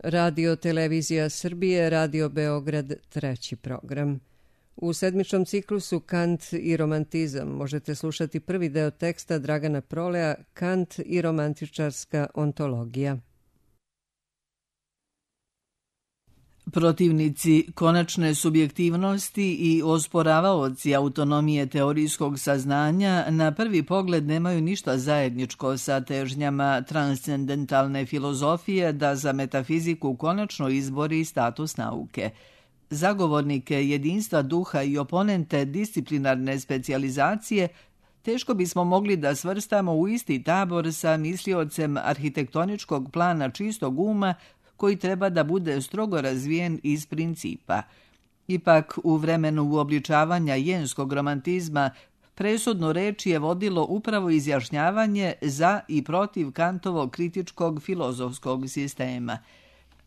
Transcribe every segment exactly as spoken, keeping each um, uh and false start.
Radio Televizija Srbije, Radio Beograd, treći program. U sedmičnom ciklusu Kant i romantizam možete slušati prvi deo teksta Dragana Proleja Kant i romantičarska ontologija. Protivnici konačne subjektivnosti i osporavaoci autonomije teorijskog saznanja na prvi pogled nemaju ništa zajedničko sa težnjama transcendentalne filozofije da za metafiziku konačno izbori status nauke. Zagovornike jedinstva duha i oponente disciplinarne specijalizacije teško bismo mogli da svrstamo u isti tabor sa misliocem arhitektoničkog plana čistog uma koji treba da bude strogo razvijen iz principa. Ipak, u vremenu uobličavanja jenskog romantizma presudnu reč je vodilo upravo izjašnjavanje za i protiv Kantovog kritičkog filozofskog sistema.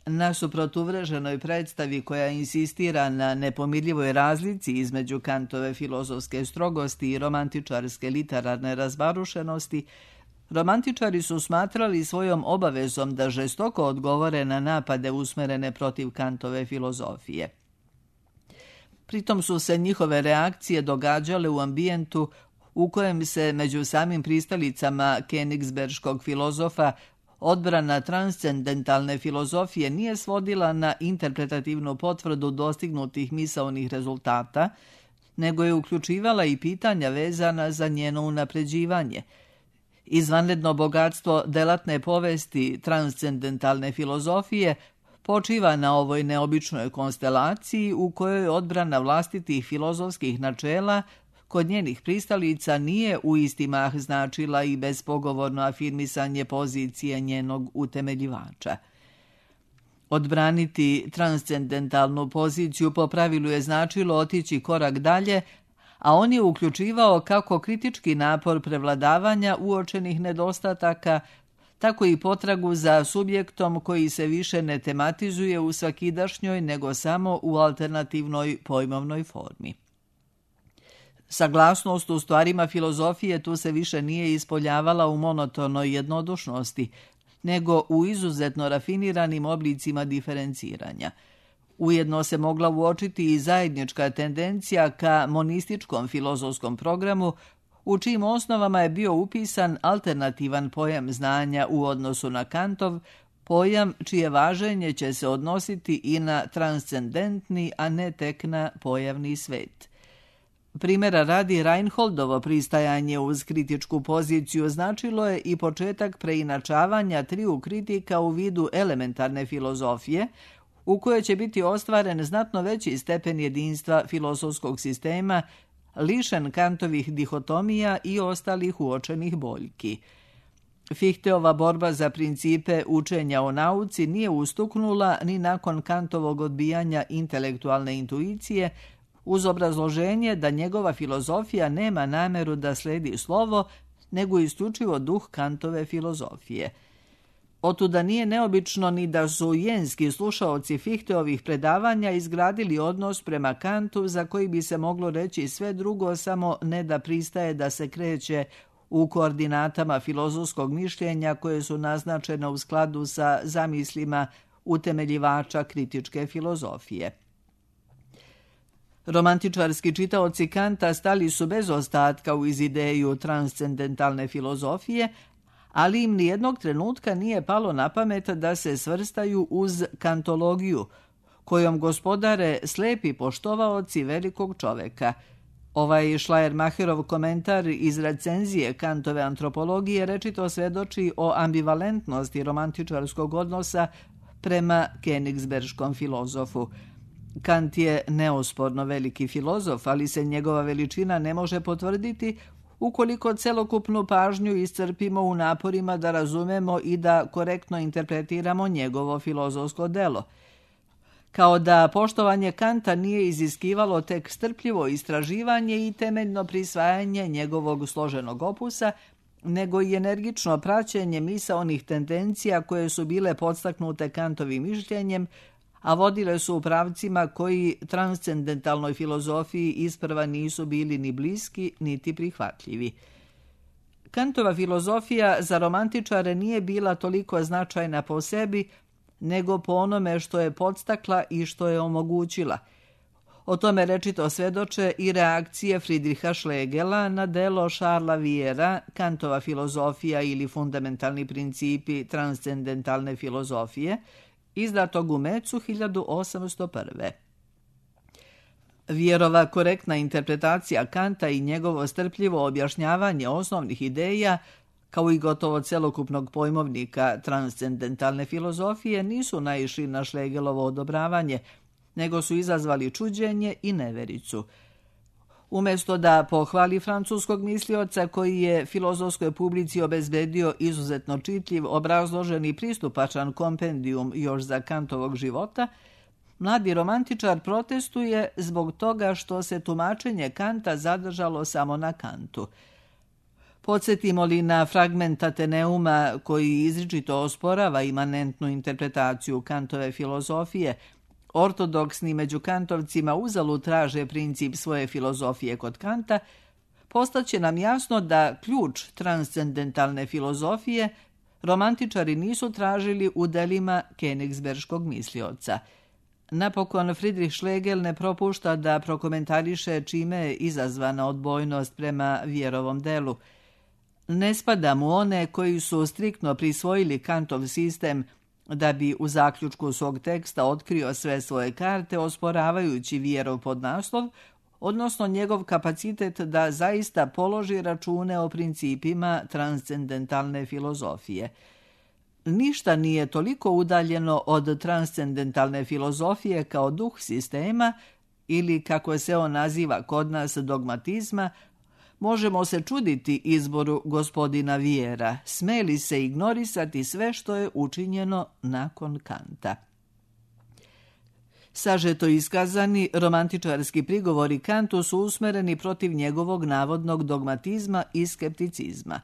Nasuprot uvreženoj predstavi koja insistira na nepomirljivoj razlici između Kantove filozofske strogosti i romantičarske literarne razbarušenosti, romantičari su smatrali svojom obavezom da žestoko odgovore na napade usmerene protiv Kantove filozofije. Pritom su se njihove reakcije događale u ambijentu u kojem se među samim pristalicama Königsberškog filozofa odbrana transcendentalne filozofije nije svodila na interpretativnu potvrdu dostignutih misaonih rezultata, nego je uključivala i pitanja vezana za njeno unapređivanje. Izvanredno bogatstvo delatne povesti transcendentalne filozofije počiva na ovoj neobičnoj konstelaciji u kojoj odbrana vlastitih filozofskih načela kod njenih pristalica nije u isti mah značila i bespogovorno afirmisanje pozicije njenog utemeljivača. Odbraniti transcendentalnu poziciju po pravilu je značilo otići korak dalje, a on je uključivao kako kritički napor prevladavanja uočenih nedostataka, tako i potragu za subjektom koji se više ne tematizuje u svakidašnjoj, nego samo u alternativnoj pojmovnoj formi. Saglasnost u stvarima filozofije tu se više nije ispoljavala u monotonoj jednodušnosti, nego u izuzetno rafiniranim oblicima diferenciranja. Ujedno se mogla uočiti i zajednička tendencija ka monističkom filozofskom programu, u čijim osnovama je bio upisan alternativan pojam znanja u odnosu na Kantov, pojam čije važenje će se odnositi i na transcendentni, a ne tek na pojavni svet. Primjera radi, Reinholdovo pristajanje uz kritičku poziciju značilo je i početak preinačavanja triju kritika u vidu elementarne filozofije, u kojoj će biti ostvaren znatno veći stepen jedinstva filozofskog sistema, lišen Kantovih dihotomija i ostalih uočenih boljki. Fichteova borba za principe učenja o nauci nije ustuknula ni nakon Kantovog odbijanja intelektualne intuicije, uz obrazloženje da njegova filozofija nema nameru da sledi slovo, nego isključivo duh Kantove filozofije. Otuda nije neobično ni da su jenski slušaoci Fichteovih predavanja izgradili odnos prema Kantu za koji bi se moglo reći sve drugo, samo ne da pristaje da se kreće u koordinatama filozofskog mišljenja koje su naznačene u skladu sa zamislima utemeljivača kritičke filozofije. Romantičarski čitaoci Kanta stali su bez ostatka u izideju transcendentalne filozofije, ali im nijednog trenutka nije palo na pamet da se svrstaju uz kantologiju, kojom gospodare slepi poštovaoci velikog čoveka. Ovaj Schleiermacherov komentar iz recenzije Kantove antropologije rečito svedoči o ambivalentnosti romantičarskog odnosa prema Königsberškom filozofu. Kant je neosporno veliki filozof, ali se njegova veličina ne može potvrditi ukoliko celokupnu pažnju iscrpimo u naporima da razumemo i da korektno interpretiramo njegovo filozofsko delo. Kao da poštovanje Kanta nije iziskivalo tek strpljivo istraživanje i temeljno prisvajanje njegovog složenog opusa, nego i energično praćenje misaonih tendencija koje su bile podstaknute Kantovim mišljenjem, a vodile su u pravcima koji transcendentalnoj filozofiji isprva nisu bili ni bliski, niti prihvatljivi. Kantova filozofija za romantičare nije bila toliko značajna po sebi, nego po onome što je podstakla i što je omogućila. O tome rečito svedoče i reakcije Friedricha Schlegela na delo Charlesa Viera, Kantova filozofija ili fundamentalni principi transcendentalne filozofije, izdatog u Mecu hiljadu osamsto prve. Vierova korektna interpretacija Kanta i njegovo strpljivo objašnjavanje osnovnih ideja, kao i gotovo celokupnog pojmovnika transcendentalne filozofije, nisu naišli na Schlegelovo odobravanje, nego su izazvali čuđenje i nevericu. Umjesto da pohvali francuskog mislioca koji je filozofskoj publici obezbedio izuzetno čitljiv, obrazložen i pristupačan kompendijum još za Kantovog života, mladi romantičar protestuje zbog toga što se tumačenje Kanta zadržalo samo na Kantu. Podsjetimo li na fragment Ateneuma koji izričito osporava imanentnu interpretaciju Kantove filozofije, ortodoksni među kantovcima uzalud traže princip svoje filozofije kod Kanta, postaće nam jasno da ključ transcendentalne filozofije romantičari nisu tražili u delima Königsberškog mislioca. Napokon, Friedrich Schlegel ne propušta da prokomentariše čime je izazvana odbojnost prema Vierovom delu. Ne spada mu one koji su striktno prisvojili Kantov sistem da bi u zaključku svog teksta otkrio sve svoje karte, osporavajući Vierov podnaslov, odnosno njegov kapacitet da zaista položi račune o principima transcendentalne filozofije. Ništa nije toliko udaljeno od transcendentalne filozofije kao duh sistema ili, kako se on naziva kod nas, dogmatizma. Možemo se čuditi izboru gospodina Viera, smeli se ignorisati sve što je učinjeno nakon Kanta. Sažeto iskazani, romantičarski prigovori Kantu su usmereni protiv njegovog navodnog dogmatizma i skepticizma.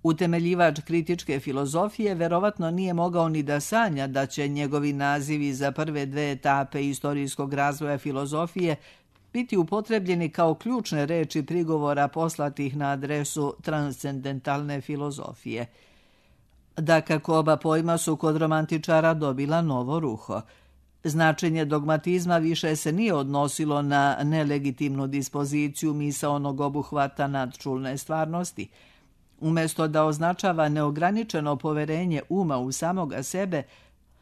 Utemeljivač kritičke filozofije verovatno nije mogao ni da sanja da će njegovi nazivi za prve dve etape istorijskog razvoja filozofije biti upotrebljeni kao ključne reči prigovora poslatih na adresu transcendentalne filozofije. Dakako, oba pojma su kod romantičara dobila novo ruho. Značenje dogmatizma više se nije odnosilo na nelegitimnu dispoziciju misaonog obuhvata nadčulne stvarnosti. Umjesto da označava neograničeno poverenje uma u samoga sebe,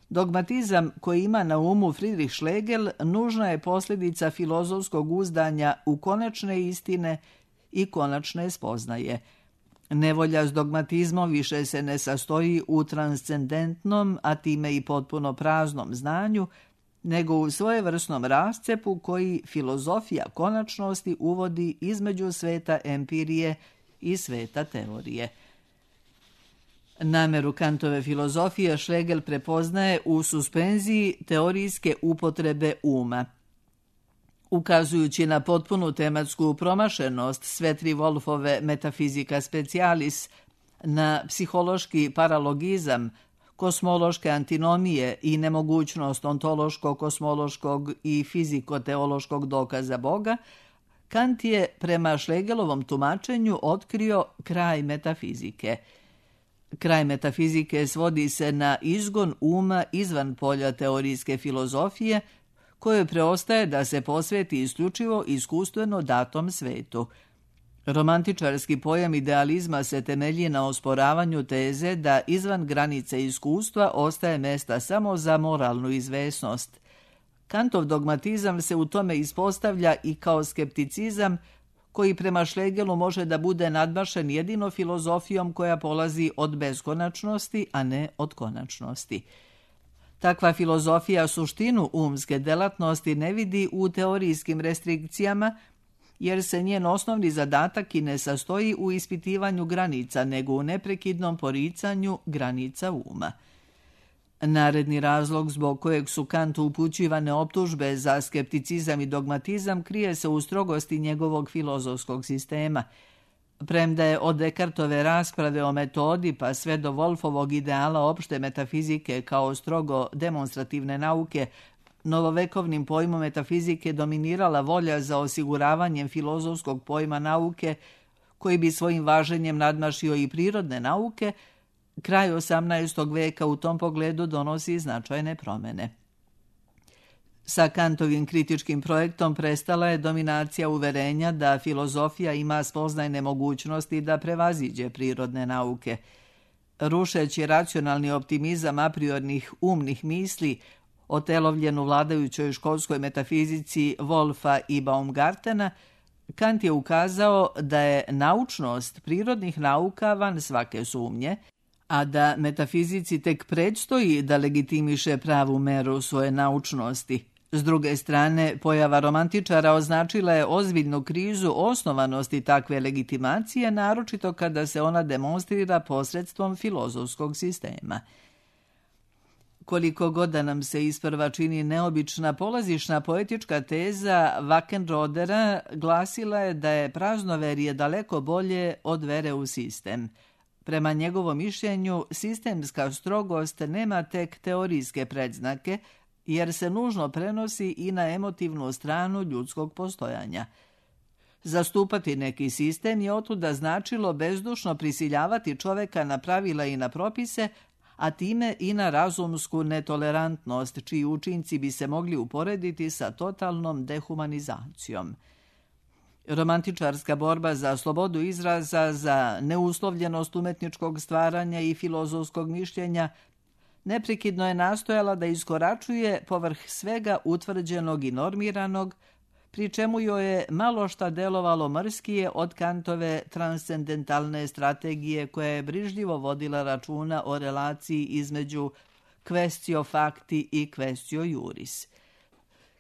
dogmatizam koji ima na umu Friedrich Schlegel nužna je posljedica filozofskog uzdanja u konačne istine i konačne spoznaje. Nevolja s dogmatizmom više se ne sastoji u transcendentnom, a time i potpuno praznom znanju, nego u svojevrsnom rascepu koji filozofija konačnosti uvodi između sveta empirije i sveta teorije. Nameru Kantove filozofije Schlegel prepoznaje u suspenziji teorijske upotrebe uma. Ukazujući na potpunu tematsku promašenost Svetri Wolfove metafizika specialis, na psihološki paralogizam, kosmološke antinomije i nemogućnost ontološko-kosmološkog i fiziko-teološkog dokaza Boga, Kant je prema Schlegelovom tumačenju otkrio kraj metafizike. Kraj metafizike svodi se na izgon uma izvan polja teorijske filozofije, koje preostaje da se posveti isključivo iskustveno datom svetu. Romantičarski pojam idealizma se temelji na osporavanju teze da izvan granice iskustva ostaje mesta samo za moralnu izvesnost. Kantov dogmatizam se u tome ispostavlja i kao skepticizam koji prema Schlegelu može da bude nadmašen jedino filozofijom koja polazi od beskonačnosti, a ne od konačnosti. Takva filozofija suštinu umske delatnosti ne vidi u teorijskim restrikcijama, jer se njen osnovni zadatak i ne sastoji u ispitivanju granica, nego u neprekidnom poricanju granica uma. Naredni razlog zbog kojeg su Kantu upućivane optužbe za skepticizam i dogmatizam krije se u strogosti njegovog filozofskog sistema. Premda je od Descartove rasprave o metodi pa sve do Wolfovog ideala opšte metafizike kao strogo demonstrativne nauke, novovekovnim pojmom metafizike dominirala volja za osiguravanjem filozofskog pojma nauke, koji bi svojim važenjem nadmašio i prirodne nauke, Kraj osamnaestog veka u tom pogledu donosi značajne promjene. Sa Kantovim kritičkim projektom prestala je dominacija uverenja da filozofija ima spoznajne mogućnosti da prevaziđe prirodne nauke. Rušeći racionalni optimizam apriornih umnih misli, otelovljen u vladajućoj školskoj metafizici Wolfa i Baumgartena, Kant je ukazao da je naučnost prirodnih nauka van svake sumnje, a da metafizici tek predstoji da legitimiše pravu meru svoje naučnosti. S druge strane, pojava romantičara označila je ozbiljnu krizu osnovanosti takve legitimacije, naročito kada se ona demonstrira posredstvom filozofskog sistema. Koliko god da nam se isprva čini neobična, polazišna poetička teza Wackenrodera glasila je da je praznoverje daleko bolje od vere u sistem. Prema njegovom mišljenju, sistemska strogost nema tek teorijske predznake, jer se nužno prenosi i na emotivnu stranu ljudskog postojanja. Zastupati neki sistem je otuda značilo bezdušno prisiljavati čoveka na pravila i na propise, a time i na razumsku netolerantnost, čiji učinci bi se mogli uporediti sa totalnom dehumanizacijom. Romantičarska borba za slobodu izraza, za neuslovljenost umetničkog stvaranja i filozofskog mišljenja neprekidno je nastojala da iskoračuje povrh svega utvrđenog i normiranog, pri čemu joj je malo šta delovalo mrskije od Kantove transcendentalne strategije koja je brižljivo vodila računa o relaciji između quaestio facti i quaestio juris.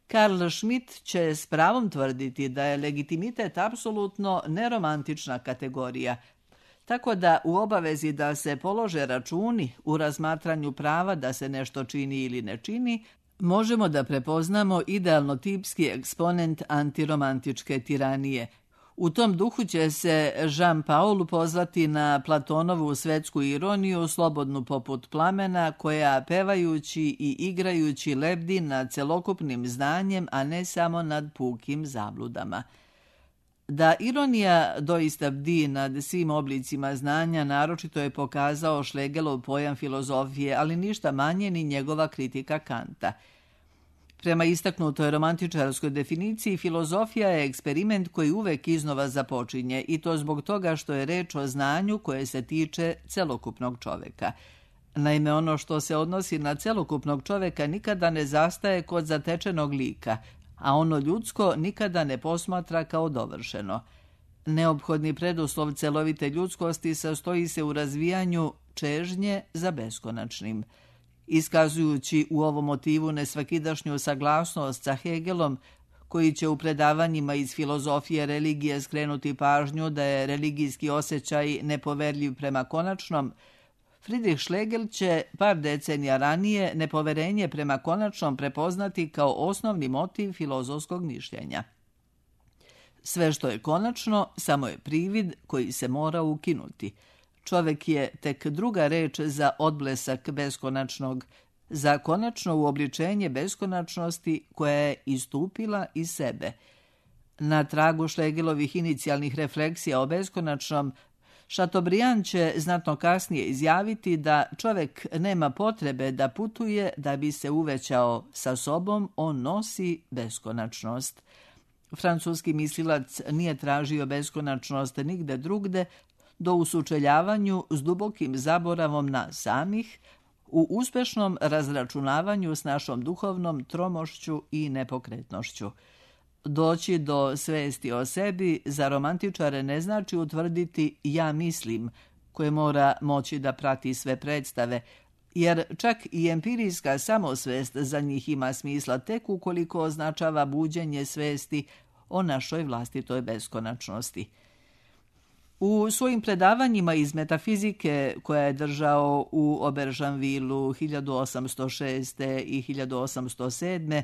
Karl Schmitt će s pravom tvrditi da je legitimitet apsolutno neromantična kategorija, tako da u obavezi da se polože računi u razmatranju prava da se nešto čini ili ne čini, možemo da prepoznamo idealno tipski eksponent antiromantičke tiranije. U tom duhu će se Jean-Paul pozvati na Platonovu svetsku ironiju, slobodnu poput plamena, koja pevajući i igrajući lebdi nad celokupnim znanjem, a ne samo nad pukim zabludama. Da ironija doista bdi nad svim oblicima znanja, naročito je pokazao Schlegelov pojam filozofije, ali ništa manje ni njegova kritika Kanta. Prema istaknutoj romantičarskoj definiciji, filozofija je eksperiment koji uvek iznova započinje, i to zbog toga što je reč o znanju koje se tiče celokupnog čoveka. Naime, ono što se odnosi na celokupnog čoveka nikada ne zastaje kod zatečenog lika, a ono ljudsko nikada ne posmatra kao dovršeno. Neophodni preduslov celovite ljudskosti sastoji se u razvijanju čežnje za beskonačnim. Iskazujući u ovom motivu nesvakidašnju saglasnost sa Hegelom, koji će u predavanjima iz filozofije religije skrenuti pažnju da je religijski osjećaj nepoverljiv prema konačnom, Friedrich Schlegel će par decenija ranije nepoverenje prema konačnom prepoznati kao osnovni motiv filozofskog mišljenja. Sve što je konačno samo je privid koji se mora ukinuti. Čovek je tek druga reč za odblesak beskonačnog, za konačno uobličenje beskonačnosti koja je istupila iz sebe. Na tragu Schlegelovih inicijalnih refleksija o beskonačnom, Chateaubriand će znatno kasnije izjaviti da čovek nema potrebe da putuje da bi se uvećao sa sobom, on nosi beskonačnost. Francuski mislilac nije tražio beskonačnost nigde drugde, do u sučeljavanju s dubokim zaboravom na samih, u uspešnom razračunavanju s našom duhovnom tromošću i nepokretnošću. Doći do svesti o sebi za romantičare ne znači utvrditi ja mislim, koje mora moći da prati sve predstave, jer čak i empirijska samosvest za njih ima smisla tek ukoliko označava buđenje svesti o našoj vlastitoj beskonačnosti. U svojim predavanjima iz metafizike koja je držao u Aubergenvillu hiljadu osamsto šeste. i hiljadu osamsto sedme.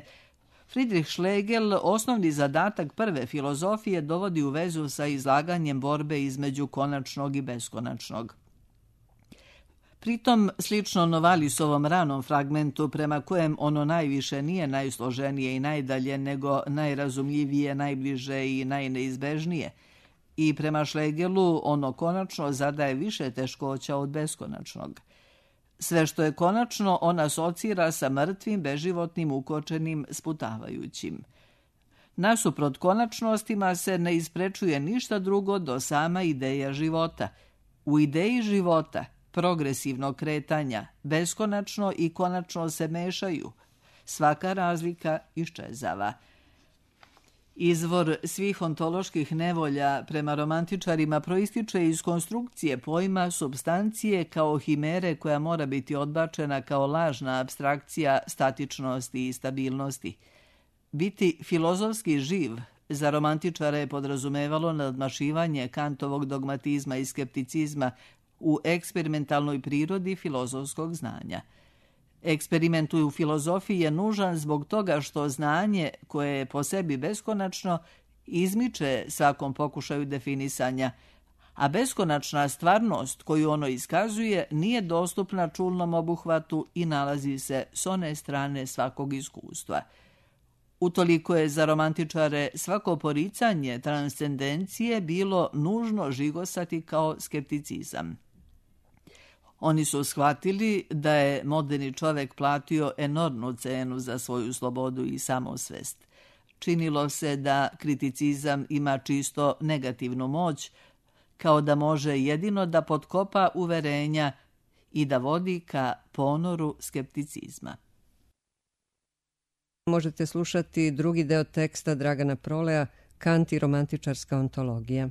Friedrich Schlegel osnovni zadatak prve filozofije dovodi u vezu sa izlaganjem borbe između konačnog i beskonačnog. Pritom, slično Novalisovom ranom fragmentu prema kojem ono najviše nije najsloženije i najdalje, nego najrazumljivije, najbliže i najneizbežnije, i prema Schlegelu ono konačno zadaje više teškoća od beskonačnog. Sve što je konačno on asocira sa mrtvim, beživotnim, ukočenim, sputavajućim. Nasuprot konačnostima se ne isprečuje ništa drugo do sama ideja života. U ideji života, progresivnog kretanja, beskonačno i konačno se mešaju. Svaka razlika iščezava. Izvor svih ontoloških nevolja prema romantičarima proističe iz konstrukcije pojma supstancije kao himere koja mora biti odbačena kao lažna apstrakcija statičnosti i stabilnosti. Biti filozofski živ za romantičare je podrazumevalo nadmašivanje Kantovog dogmatizma i skepticizma u eksperimentalnoj prirodi filozofskog znanja. Eksperiment u filozofiji je nužan zbog toga što znanje, koje je po sebi beskonačno, izmiče svakom pokušaju definisanja, a beskonačna stvarnost koju ono iskazuje nije dostupna čulnom obuhvatu i nalazi se s one strane svakog iskustva. Utoliko je za romantičare svako poricanje transcendencije bilo nužno žigosati kao skepticizam. Oni su shvatili da je moderni čovek platio enormnu cenu za svoju slobodu i samosvest. Činilo se da kriticizam ima čisto negativnu moć, kao da može jedino da potkopa uverenja i da vodi ka ponoru skepticizma. Možete slušati drugi deo teksta Dragana Proleja, Kant i romantičarska ontologija.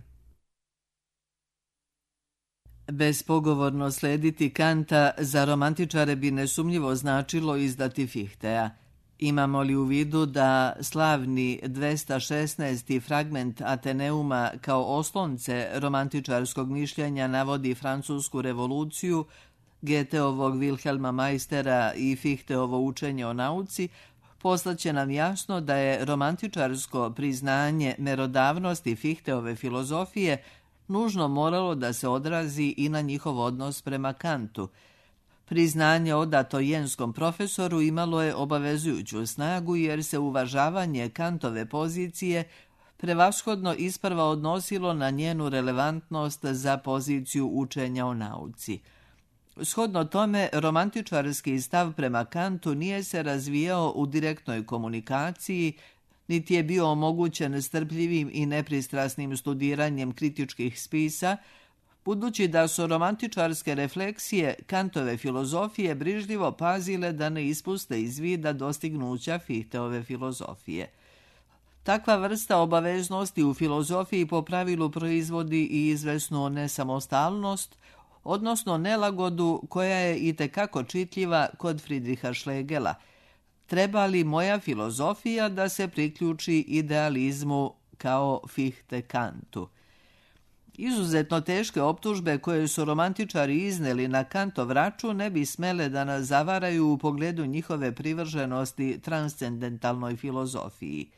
Bespogovorno slediti Kanta za romantičare bi nesumnjivo značilo izdati Fichteja. Imamo li u vidu da slavni dvesta šesnaesti fragment Ateneuma kao oslonce romantičarskog mišljenja navodi Francusku revoluciju, Goetheovog Wilhelma Meistera i Fichteovo učenje o nauci, poslaće nam jasno da je romantičarsko priznanje merodavnosti Fichteove filozofije nužno moralo da se odrazi i na njihov odnos prema Kantu. Priznanje odato jenskom profesoru imalo je obavezujuću snagu jer se uvažavanje Kantove pozicije prevashodno isprva odnosilo na njenu relevantnost za poziciju učenja o nauci. Shodno tome, romantičarski stav prema Kantu nije se razvijao u direktnoj komunikaciji, niti je bio omogućen strpljivim i nepristrasnim studiranjem kritičkih spisa, budući da su romantičarske refleksije Kantove filozofije brižljivo pazile da ne ispuste iz vida dostignuća Fichteove filozofije. Takva vrsta obaveznosti u filozofiji po pravilu proizvodi i izvesnu nesamostalnost, odnosno nelagodu koja je itekako čitljiva kod Friedricha Schlegela. Treba li moja filozofija da se priključi idealizmu kao Fichte Kantu? Izuzetno teške optužbe koje su romantičari izneli na Kantov račun ne bi smele da nas zavaraju u pogledu njihove privrženosti transcendentalnoj filozofiji.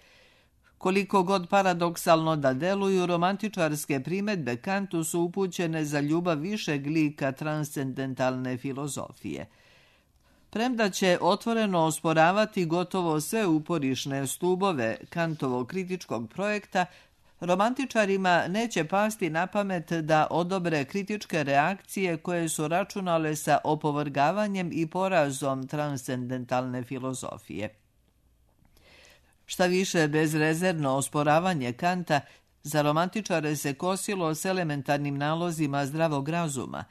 Koliko god paradoksalno da deluju, romantičarske primedbe Kantu su upućene za ljubav višeg lika transcendentalne filozofije. Premda će otvoreno osporavati gotovo sve uporišne stubove Kantovog kritičkog projekta, romantičarima neće pasti na pamet da odobre kritičke reakcije koje su računale sa opovrgavanjem i porazom transcendentalne filozofije. Šta više, bezrezervno osporavanje Kanta za romantičare se kosilo s elementarnim nalozima zdravog razuma.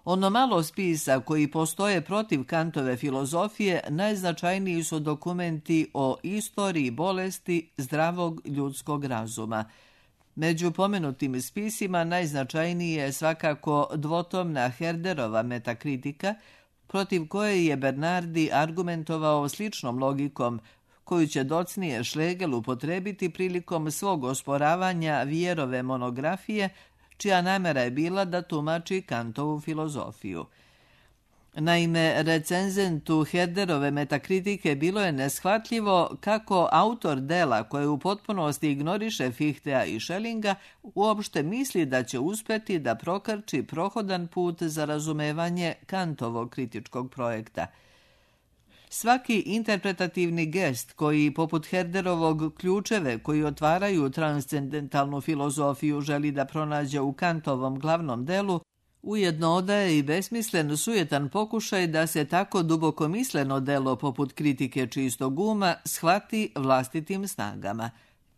Ono malo spisa koji postoje protiv Kantove filozofije najznačajniji su dokumenti o istoriji bolesti zdravog ljudskog razuma. Među pomenutim spisima najznačajniji je svakako dvotomna Herderova metakritika, protiv koje je Bernardi argumentovao sličnom logikom, koju će docnije Schlegel upotrebiti prilikom svog osporavanja Vjerove monografije, čija namera je bila da tumači Kantovu filozofiju. Naime, recenzentu Herderove metakritike bilo je neshvatljivo kako autor dela koje u potpunosti ignoriše Fichteja i Schellinga uopšte misli da će uspeti da prokrči prohodan put za razumevanje Kantovog kritičkog projekta. Svaki interpretativni gest koji, poput Herderovog, ključeve koji otvaraju transcendentalnu filozofiju želi da pronađe u Kantovom glavnom delu, Ujedno odaje i besmislen, sujetan pokušaj da se tako dubokomisleno delo poput kritike čistog uma shvati vlastitim snagama.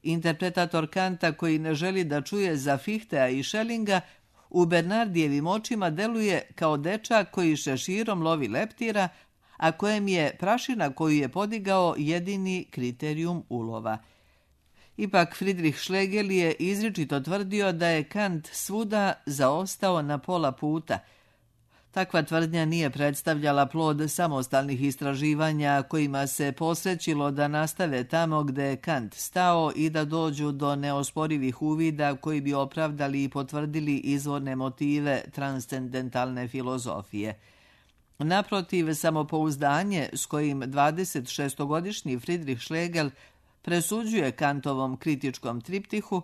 Interpretator Kanta koji ne želi da čuje za Fichtea i Schellinga u Bernardijevim očima deluje kao dečak koji šeširom lovi leptira, a kojem je prašina koju je podigao jedini kriterijum ulova. Ipak Friedrich Schlegel je izričito tvrdio da je Kant svuda zaostao na pola puta. Takva tvrdnja nije predstavljala plod samostalnih istraživanja kojima se posrećilo da nastave tamo gde je Kant stao i da dođu do neosporivih uvida koji bi opravdali i potvrdili izvorne motive transcendentalne filozofije. Naprotiv, samopouzdanje s kojim dvadesetšestogodišnji Friedrich Schlegel presuđuje Kantovom kritičkom triptihu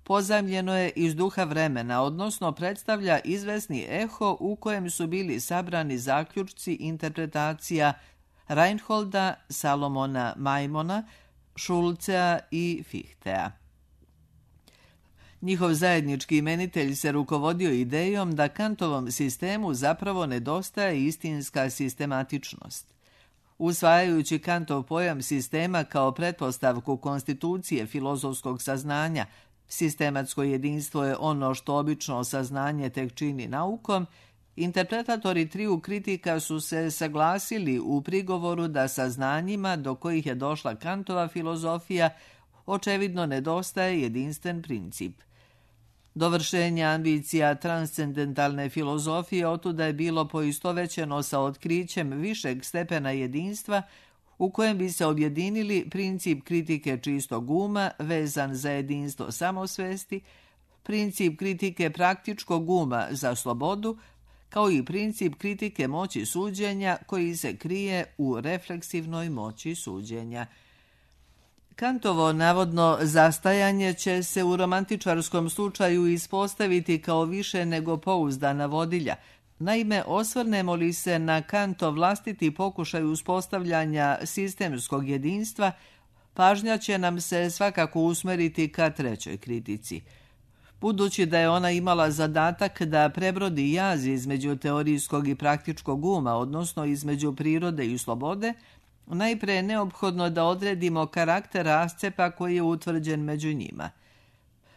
pozajmljeno je iz duha vremena, odnosno predstavlja izvesni eho u kojem su bili sabrani zaključci interpretacija Reinholda, Salomona Maimona, Schulzea i Fichtea. Njihov zajednički imenitelj se rukovodio idejom da Kantovom sistemu zapravo nedostaje istinska sistematičnost. Usvajajući Kantov pojam sistema kao pretpostavku konstitucije filozofskog saznanja, sistematsko jedinstvo je ono što obično saznanje tek čini naukom, interpretatori triju kritika su se saglasili u prigovoru da saznanjima do kojih je došla Kantova filozofija očevidno nedostaje jedinstven princip. Dovršenje ambicija transcendentalne filozofije otuda je bilo poistovećeno sa otkrićem višeg stepena jedinstva u kojem bi se objedinili princip kritike čistog uma vezan za jedinstvo samosvesti, princip kritike praktičkog uma za slobodu, kao i princip kritike moći suđenja koji se krije u refleksivnoj moći suđenja. Kantovo navodno zastajanje će se u romantičarskom slučaju ispostaviti kao više nego pouzdana vodilja. Naime, osvrnemo li se na Kantov vlastiti pokušaj uspostavljanja sistemskog jedinstva, pažnja će nam se svakako usmeriti ka trećoj kritici. Budući da je ona imala zadatak da prebrodi jaz između teorijskog i praktičkog uma, odnosno između prirode i slobode, najpre je neophodno da odredimo karakter rascepa koji je utvrđen među njima.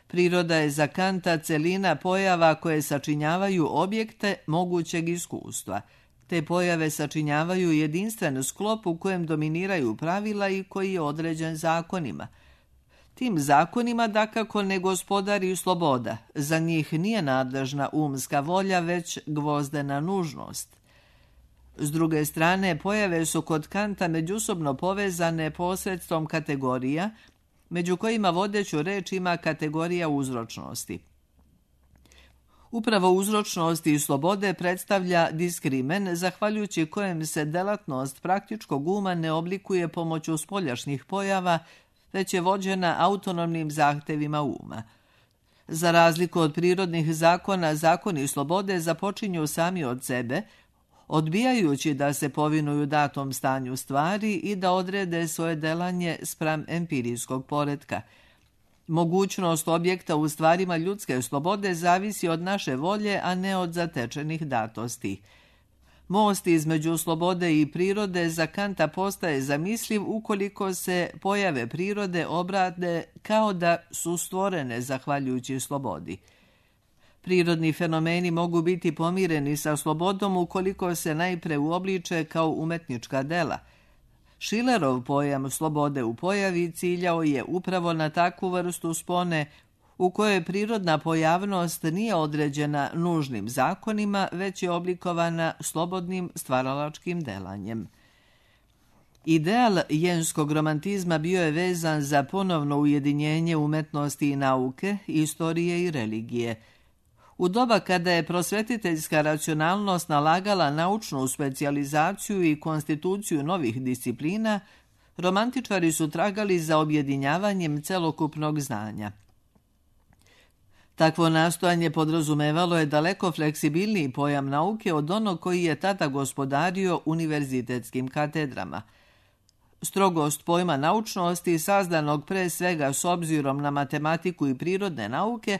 Priroda je za Kanta celina pojava koje sačinjavaju objekte mogućeg iskustva. Te pojave sačinjavaju jedinstven sklop u kojem dominiraju pravila i koji je određen zakonima. Tim zakonima dakako ne gospodari sloboda. Za njih nije nadležna umska volja, već gvozdena nužnost. S druge strane, pojave su kod Kanta međusobno povezane posredstvom kategorija, među kojima vodeću reč ima kategorija uzročnosti. Upravo uzročnost i slobode predstavlja diskrimen, zahvaljujući kojem se delatnost praktičkog uma ne oblikuje pomoću spoljašnjih pojava, već je vođena autonomnim zahtevima uma. Za razliku od prirodnih zakona, zakoni slobode započinju sami od sebe, odbijajući da se povinuju datom stanju stvari i da odrede svoje delanje spram empirijskog poretka. Mogućnost objekta u stvarima ljudske slobode zavisi od naše volje, a ne od zatečenih datosti. Most između slobode i prirode za Kanta postaje zamisliv ukoliko se pojave prirode obrade kao da su stvorene zahvaljujući slobodi. Prirodni fenomeni mogu biti pomireni sa slobodom ukoliko se najpre uobliče kao umetnička dela. Schillerov pojam slobode u pojavi ciljao je upravo na takvu vrstu spone u kojoj prirodna pojavnost nije određena nužnim zakonima, već je oblikovana slobodnim stvaralačkim delanjem. Ideal jenskog romantizma bio je vezan za ponovno ujedinjenje umetnosti i nauke, istorije i religije. U doba kada je prosvetiteljska racionalnost nalagala naučnu specijalizaciju i konstituciju novih disciplina, romantičari su tragali za objedinjavanjem celokupnog znanja. Takvo nastojanje podrazumevalo je daleko fleksibilniji pojam nauke od onog koji je tada gospodario univerzitetskim katedrama. Strogost pojma naučnosti, sazdanog pre svega s obzirom na matematiku i prirodne nauke,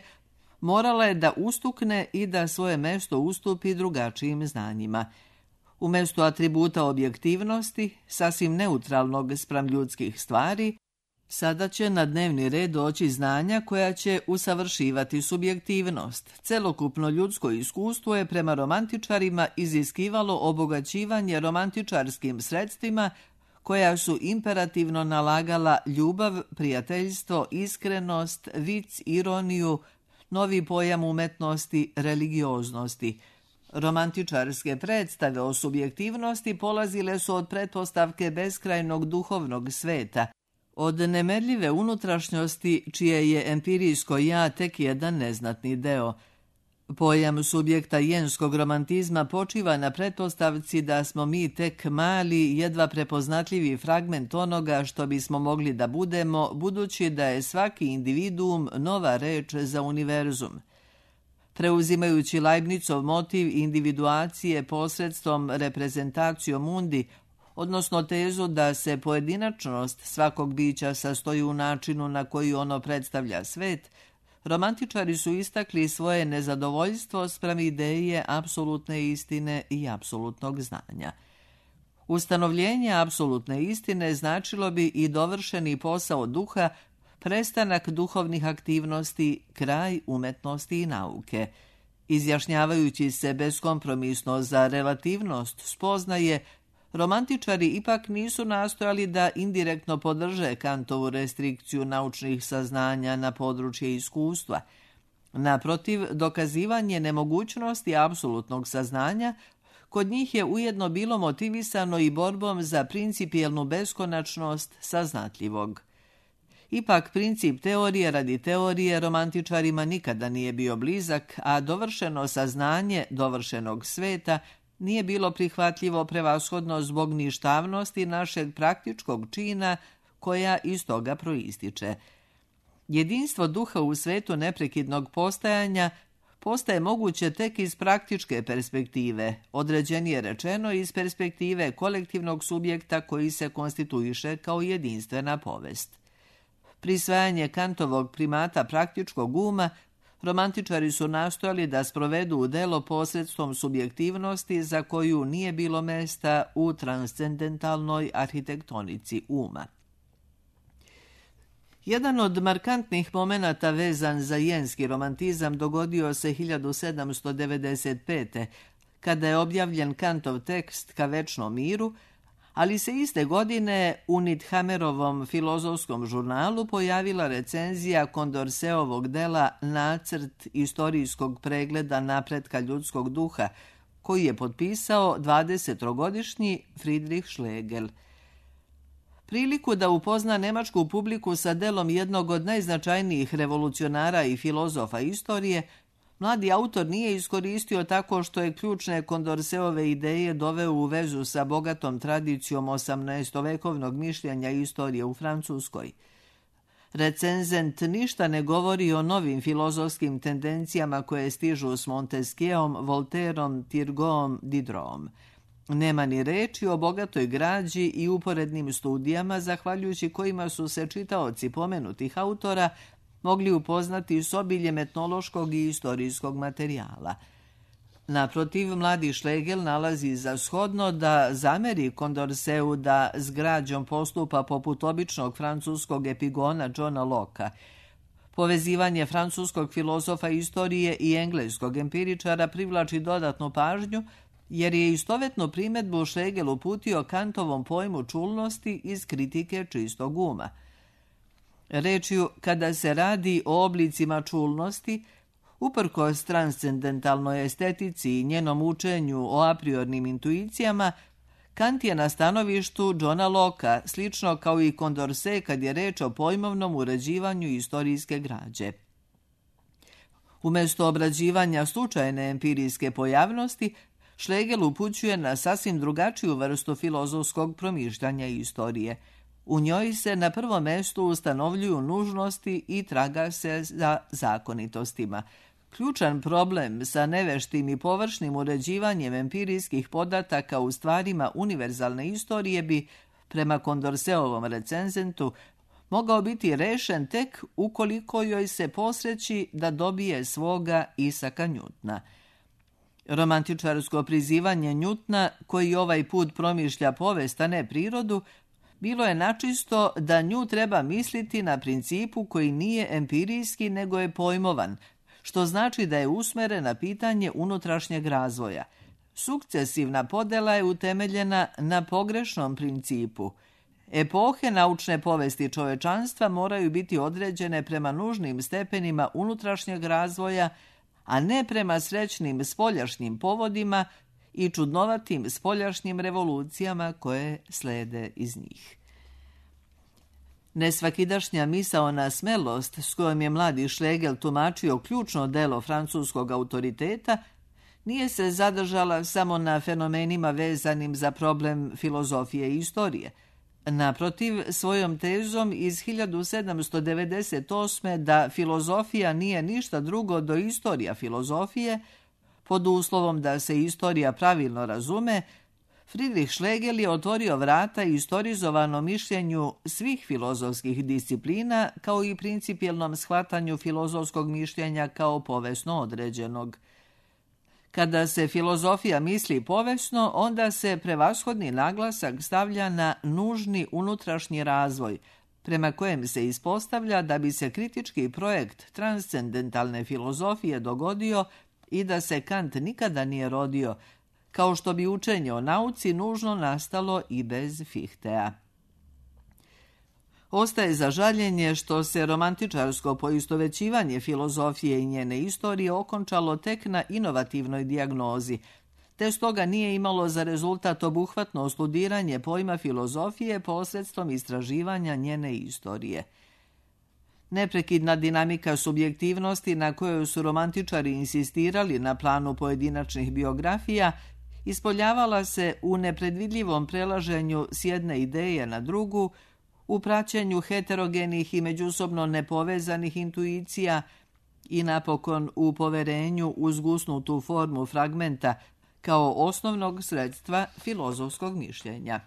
morala je da ustukne i da svoje mesto ustupi drugačijim znanjima. Umjesto atributa objektivnosti, sasvim neutralnog spram ljudskih stvari, sada će na dnevni red doći znanja koja će usavršivati subjektivnost. Celokupno ljudsko iskustvo je prema romantičarima iziskivalo obogaćivanje romantičarskim sredstvima koja su imperativno nalagala ljubav, prijateljstvo, iskrenost, vic, ironiju, novi pojam umetnosti, religioznosti. Romantičarske predstave o subjektivnosti polazile su od pretpostavke beskrajnog duhovnog sveta, od nemerljive unutrašnjosti čije je empirijsko ja tek jedan neznatni deo. Pojam subjekta jenskog romantizma počiva na pretpostavci da smo mi tek mali, jedva prepoznatljivi fragment onoga što bismo mogli da budemo, budući da je svaki individuum nova reč za univerzum. Preuzimajući Leibnicov motiv individuacije posredstvom reprezentacijom mundi, odnosno tezu da se pojedinačnost svakog bića sastoji u načinu na koji ono predstavlja svet, romantičari su istakli svoje nezadovoljstvo spram ideje apsolutne istine i apsolutnog znanja. Ustanovljenje apsolutne istine značilo bi i dovršeni posao duha, prestanak duhovnih aktivnosti, kraj umetnosti i nauke. Izjašnjavajući se beskompromisno za relativnost spoznaje, romantičari ipak nisu nastojali da indirektno podrže Kantovu restrikciju naučnih saznanja na područje iskustva. Naprotiv, dokazivanje nemogućnosti apsolutnog saznanja kod njih je ujedno bilo motivisano i borbom za principijelnu beskonačnost saznatljivog. Ipak princip teorije radi teorije romantičarima nikada nije bio blizak, a dovršeno saznanje dovršenog sveta nije bilo prihvatljivo prevashodno zbog ništavnosti našeg praktičkog čina koja iz toga proističe. Jedinstvo duha u svetu neprekidnog postajanja postaje moguće tek iz praktičke perspektive, određenije rečeno iz perspektive kolektivnog subjekta koji se konstituiše kao jedinstvena povest. Prisvajanje Kantovog primata praktičkog uma romantičari su nastojali da sprovedu u delo posredstvom subjektivnosti za koju nije bilo mesta u transcendentalnoj arhitektonici uma. Jedan od markantnih momenata vezan za jenski romantizam dogodio se hiljadu sedamsto devedeset pete. kada je objavljen Kantov tekst Ka večnom miru, ali se iste godine u Nithamerovom filozofskom žurnalu pojavila recenzija Condorcetovog dela Nacrt istorijskog pregleda napretka ljudskog duha, koji je potpisao dvadesetogodišnji Friedrich Schlegel. Priliku da upozna nemačku publiku sa delom jednog od najznačajnijih revolucionara i filozofa istorije, mladi autor nije iskoristio tako što je ključne Condorceove ideje doveo u vezu sa bogatom tradicijom osamnaestovekovnog mišljenja istorije u Francuskoj. Recenzent ništa ne govori o novim filozofskim tendencijama koje stižu s Montesquieom, Voltaireom, Turgotom, Diderot. Nema ni reči o bogatoj građi i uporednim studijama, zahvaljujući kojima su se čitaoci pomenutih autora mogli upoznati s obiljem etnološkog i istorijskog materijala. Naprotiv, mladi Schlegel nalazi za shodno da zameri Condorceu da s građom postupa poput običnog francuskog epigona Johna Locke-a. Povezivanje francuskog filozofa istorije i engleskog empiričara privlači dodatnu pažnju, jer je istovetnu primedbu Schlegel uputio Kantovom pojmu čulnosti iz kritike čistog uma. Rečju, kada se radi o oblicima čulnosti, uprkos transcendentalnoj estetici i njenom učenju o apriornim intuicijama, Kant je na stanovištu Johna Locke-a, slično kao i Condorcet kad je reč o pojmovnom uređivanju istorijske građe. Umjesto obrađivanja slučajne empirijske pojavnosti, Schlegel upućuje na sasvim drugačiju vrstu filozofskog promišljanja istorije. U njoj se na prvom mjestu ustanovljuju nužnosti i traga se za zakonitostima. Ključan problem sa neveštim i površnim uređivanjem empirijskih podataka u stvarima univerzalne istorije bi, prema Condorceovom recenzentu, mogao biti rešen tek ukoliko joj se posreći da dobije svoga Isaka Njutna. Romantičarsko prizivanje Njutna, koji ovaj put promišlja povest, a ne prirodu, bilo je načisto da nju treba misliti na principu koji nije empirijski nego je pojmovan, što znači da je usmeren na pitanje unutrašnjeg razvoja. Sukcesivna podela je utemeljena na pogrešnom principu. Epohe naučne povesti čovečanstva moraju biti određene prema nužnim stepenima unutrašnjeg razvoja, a ne prema srećnim spoljašnjim povodima i čudnovatim spoljašnjim revolucijama koje slede iz njih. Nesvakidašnja misaona smelost s kojom je mladi Schlegel tumačio ključno delo francuskog autoriteta nije se zadržala samo na fenomenima vezanim za problem filozofije i istorije. Naprotiv, svojom tezom iz hiljadu sedamsto devedeset osme da filozofija nije ništa drugo do istorija filozofije, pod uslovom da se istorija pravilno razume, Friedrich Schlegel je otvorio vrata istorizovanom mišljenju svih filozofskih disciplina kao i principijelnom shvatanju filozofskog mišljenja kao povesno određenog. Kada se filozofija misli povesno, onda se prevashodni naglasak stavlja na nužni unutrašnji razvoj, prema kojem se ispostavlja da bi se kritički projekt transcendentalne filozofije dogodio i da se Kant nikada nije rodio, kao što bi učenje o nauci nužno nastalo i bez Fichteja. Ostaje za žaljenje što se romantičarsko poistovećivanje filozofije i njene istorije okončalo tek na inovativnoj dijagnozi, te stoga nije imalo za rezultat obuhvatno studiranje pojma filozofije posredstvom istraživanja njene istorije. Neprekidna dinamika subjektivnosti na kojoj su romantičari insistirali na planu pojedinačnih biografija ispoljavala se u nepredvidljivom prelaženju s jedne ideje na drugu, u praćenju heterogenih i međusobno nepovezanih intuicija i napokon u poverenju u zgusnutu formu fragmenta kao osnovnog sredstva filozofskog mišljenja.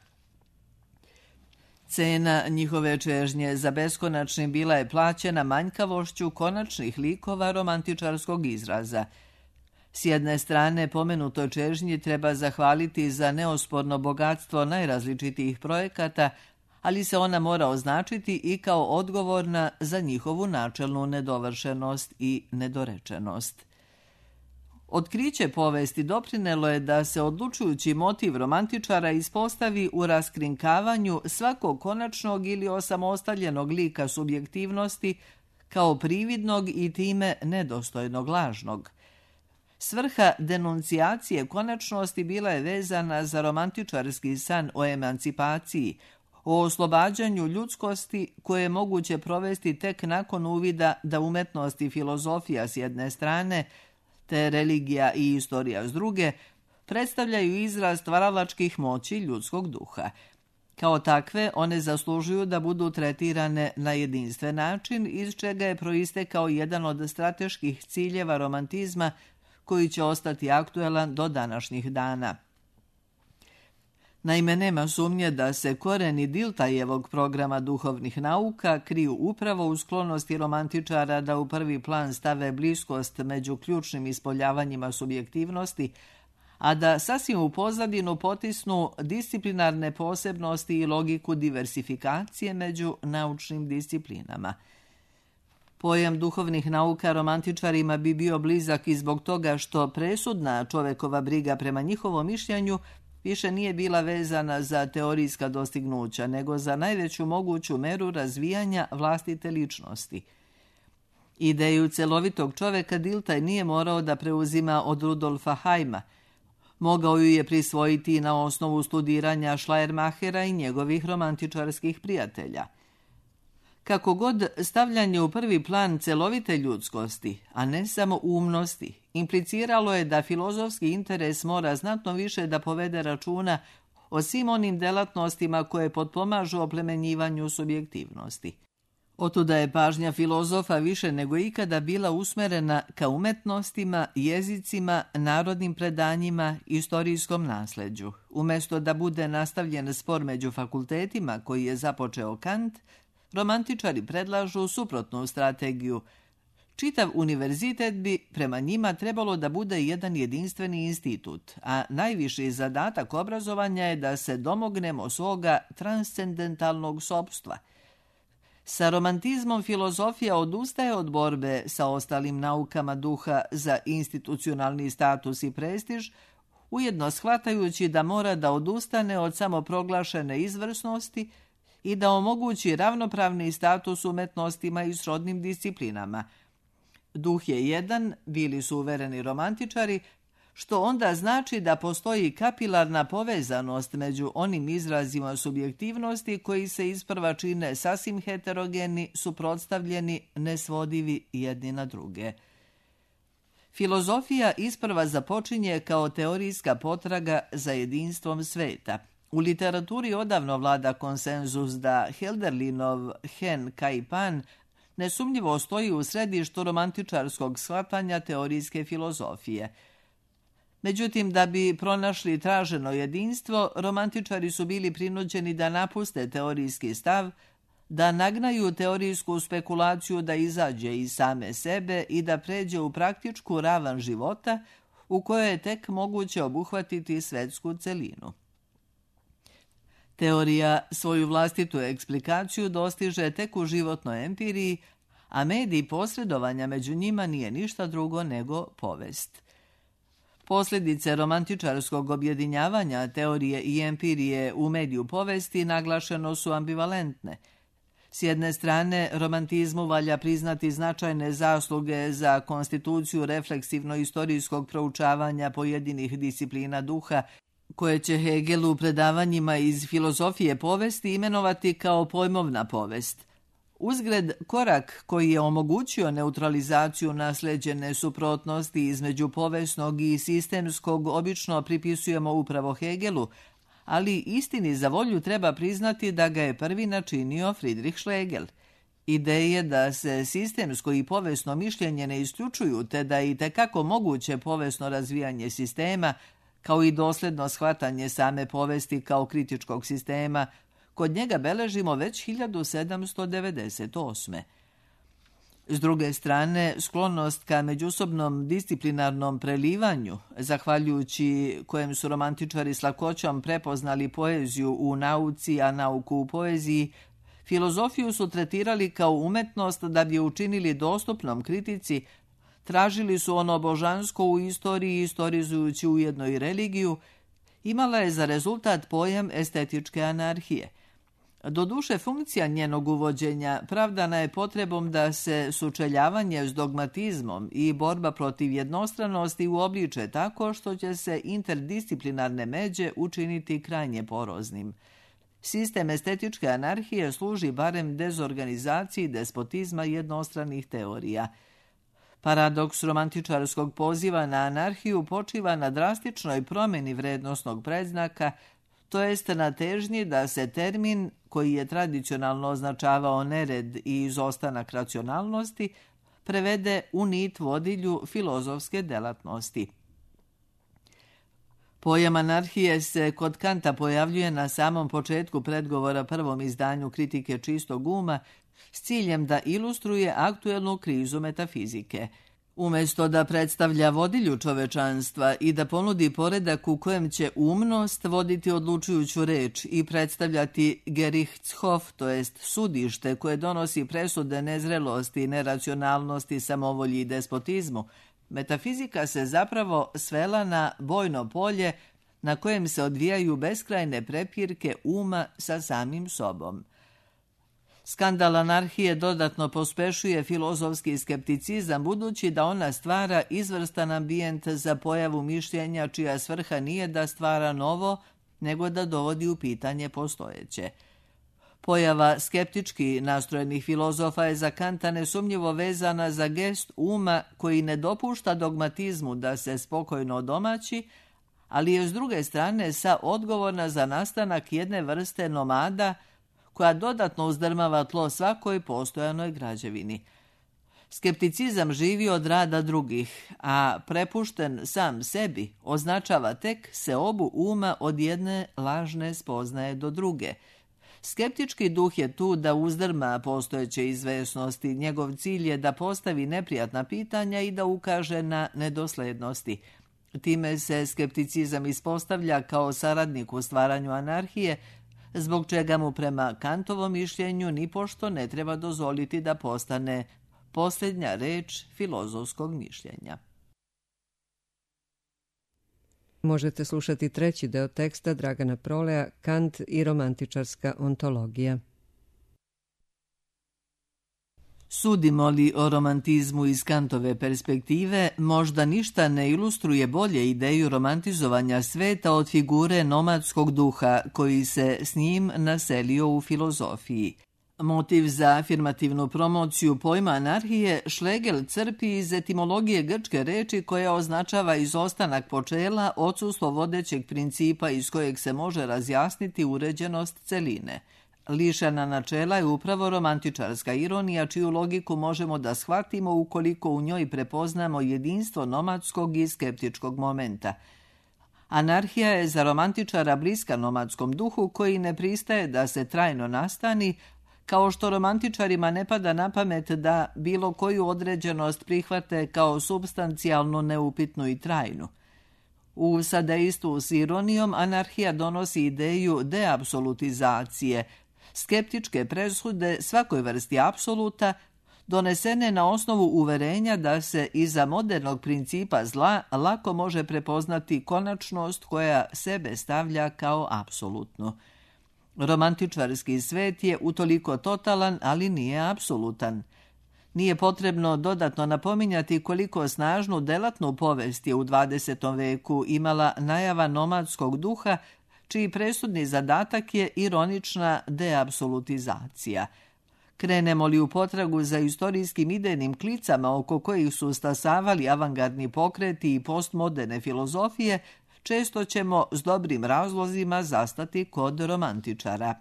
Cena njihove čežnje za beskonačnim bila je plaćena manjkavošću konačnih likova romantičarskog izraza. S jedne strane, pomenutoj čežnji treba zahvaliti za neosporno bogatstvo najrazličitijih projekata, ali se ona mora označiti i kao odgovorna za njihovu načelnu nedovršenost i nedorečenost. Otkriće povesti doprinelo je da se odlučujući motiv romantičara ispostavi u raskrinkavanju svakog konačnog ili osamostaljenog lika subjektivnosti kao prividnog i time nedostojnog lažnog. Svrha denuncijacije konačnosti bila je vezana za romantičarski san o emancipaciji, o oslobađanju ljudskosti koje je moguće provesti tek nakon uvida da umetnost i filozofija s jedne strane, te religija i istorija s druge, predstavljaju izraz stvaralačkih moći ljudskog duha. Kao takve, one zaslužuju da budu tretirane na jedinstven način, iz čega je proistekao jedan od strateških ciljeva romantizma koji će ostati aktuelan do današnjih dana. Naime, nema sumnje da se koreni Diltajevog programa duhovnih nauka kriju upravo u sklonosti romantičara da u prvi plan stave bliskost među ključnim ispoljavanjima subjektivnosti, a da sasvim u pozadinu potisnu disciplinarne posebnosti i logiku diversifikacije među naučnim disciplinama. Pojam duhovnih nauka romantičarima bi bio blizak i zbog toga što presudna čovekova briga prema njihovom mišljenju više nije bila vezana za teorijska dostignuća, nego za najveću moguću meru razvijanja vlastite ličnosti. Ideju celovitog čoveka Diltaj nije morao da preuzima od Rudolfa Heima. Mogao ju je prisvojiti na osnovu studiranja Schleiermachera i njegovih romantičarskih prijatelja. Kako god, stavljanje u prvi plan celovite ljudskosti, a ne samo umnosti, impliciralo je da filozofski interes mora znatno više da povede računa o svim onim delatnostima koje potpomažu oplemenjivanju subjektivnosti. Otuda je pažnja filozofa više nego ikada bila usmerena ka umetnostima, jezicima, narodnim predanjima, istorijskom nasleđu. Umjesto da bude nastavljen spor među fakultetima koji je započeo Kant, romantičari predlažu suprotnu strategiju. Čitav univerzitet bi prema njima trebalo da bude jedan jedinstveni institut, a najviši zadatak obrazovanja je da se domognemo svoga transcendentalnog sopstva. Sa romantizmom filozofija odustaje od borbe sa ostalim naukama duha za institucionalni status i prestiž, ujedno shvatajući da mora da odustane od samoproglašene izvrsnosti i da omogući ravnopravni status umetnostima i srodnim disciplinama. Duh je jedan, bili su uvereni romantičari, što onda znači da postoji kapilarna povezanost među onim izrazima subjektivnosti koji se isprva čine sasvim heterogeni, suprotstavljeni, nesvodivi jedni na druge. Filozofija isprva započinje kao teorijska potraga za jedinstvom sveta. U literaturi odavno vlada konsenzus da Hölderlinov Hen Kai Pan nesumnjivo stoji u središtu romantičarskog shvatanja teorijske filozofije. Međutim, da bi pronašli traženo jedinstvo, romantičari su bili prinuđeni da napuste teorijski stav, da nagnaju teorijsku spekulaciju da izađe iz same sebe i da pređe u praktičku ravan života u kojoj je tek moguće obuhvatiti svetsku celinu. Teorija svoju vlastitu eksplikaciju dostiže tek u životnoj empiriji, a medij posredovanja među njima nije ništa drugo nego povest. Posljedice romantičarskog objedinjavanja teorije i empirije u mediju povesti naglašeno su ambivalentne. S jedne strane, romantizmu valja priznati značajne zasluge za konstituciju refleksivno-istorijskog proučavanja pojedinih disciplina duha, koje će Hegel u predavanjima iz filozofije povesti imenovati kao pojmovna povest. Uzgred, korak koji je omogućio neutralizaciju nasleđene suprotnosti između povesnog i sistemskog obično pripisujemo upravo Hegelu, ali istini za volju treba priznati da ga je prvi načinio Friedrich Schlegel. Ideje da se sistemsko i povesno mišljenje ne isključuju, te da je itekako moguće povesno razvijanje sistema, kao i dosljedno shvatanje same povesti kao kritičkog sistema, kod njega beležimo već hiljadu sedamsto devedeset osme. S druge strane, sklonost ka međusobnom disciplinarnom prelivanju, zahvaljujući kojem su romantičari s lakoćom prepoznali poeziju u nauci, a nauku u poeziji, filozofiju su tretirali kao umetnost da bi je učinili dostupnom kritici, tražili su ono božansko u istoriji, istorizujući ujedno i religiju, imala je za rezultat pojam estetičke anarhije. Doduše, funkcija njenog uvođenja pravdana je potrebom da se sučeljavanje s dogmatizmom i borba protiv jednostranosti uobliče tako što će se interdisciplinarne međe učiniti krajnje poroznim. Sistem estetičke anarhije služi barem dezorganizaciji despotizma jednostranih teorija. Paradoks romantičarskog poziva na anarhiju počiva na drastičnoj promjeni vrednosnog predznaka, to jest na težnji da se termin, koji je tradicionalno označavao nered i izostanak racionalnosti, prevede u nit vodilju filozofske delatnosti. Pojam anarhije se kod Kanta pojavljuje na samom početku predgovora prvom izdanju Kritike čistog uma s ciljem da ilustruje aktuelnu krizu metafizike. Umjesto da predstavlja vodilju čovečanstva i da ponudi poredak u kojem će umnost voditi odlučujuću reč i predstavljati Gerichtshof, to jest sudište koje donosi presude nezrelosti, neracionalnosti, samovolji i despotizmu, metafizika se zapravo svela na bojno polje na kojem se odvijaju beskrajne prepirke uma sa samim sobom. Skandal anarhije dodatno pospešuje filozofski skepticizam budući da ona stvara izvrstan ambijent za pojavu mišljenja čija svrha nije da stvara novo, nego da dovodi u pitanje postojeće. Pojava skeptički nastrojenih filozofa je za Kanta nesumnjivo vezana za gest uma koji ne dopušta dogmatizmu da se spokojno odomaći, ali je s druge strane sa odgovorna za nastanak jedne vrste nomada koja dodatno uzdrmava tlo svakoj postojanoj građevini. Skepticizam živi od rada drugih, a prepušten sam sebi označava tek seobu uma od jedne lažne spoznaje do druge. Skeptički duh je tu da uzdrma postojeće izvesnosti. Njegov cilj je da postavi neprijatna pitanja i da ukaže na nedoslednosti. Time se skepticizam ispostavlja kao saradnik u stvaranju anarhije, zbog čega mu prema Kantovom mišljenju nipošto ne treba dozvoliti da postane posljednja reč filozofskog mišljenja. Možete slušati treći deo teksta Dragana Proleja, Kant i romantičarska ontologija. Sudimo li o romantizmu iz Kantove perspektive, možda ništa ne ilustruje bolje ideju romantizovanja sveta od figure nomadskog duha koji se s njim naselio u filozofiji. Motiv za afirmativnu promociju pojma anarhije Schlegel crpi iz etimologije grčke reči koja označava izostanak počela, odsustvo vodećeg principa iz kojeg se može razjasniti uređenost celine. Lišena načela je upravo romantičarska ironija, čiju logiku možemo da shvatimo ukoliko u njoj prepoznamo jedinstvo nomadskog i skeptičkog momenta. Anarhija je za romantičara bliska nomadskom duhu koji ne pristaje da se trajno nastani, kao što romantičarima ne pada na pamet da bilo koju određenost prihvate kao supstancijalno neupitnu i trajnu. U sadejstvu s ironijom anarhija donosi ideju deapsolutizacije, skeptičke presude svakoj vrsti apsoluta, donesene na osnovu uverenja da se iza modernog principa zla lako može prepoznati konačnost koja sebe stavlja kao apsolutnu. Romantičarski svet je utoliko totalan, ali nije apsolutan. Nije potrebno dodatno napominjati koliko snažnu delatnu povest je u dvadesetom veku imala najava nomadskog duha, čiji presudni zadatak je ironična deapsolutizacija. Krenemo li u potragu za istorijskim idejnim klicama oko kojih su stasavali avangardni pokreti i postmoderne filozofije, često ćemo s dobrim razlozima zastati kod romantičara.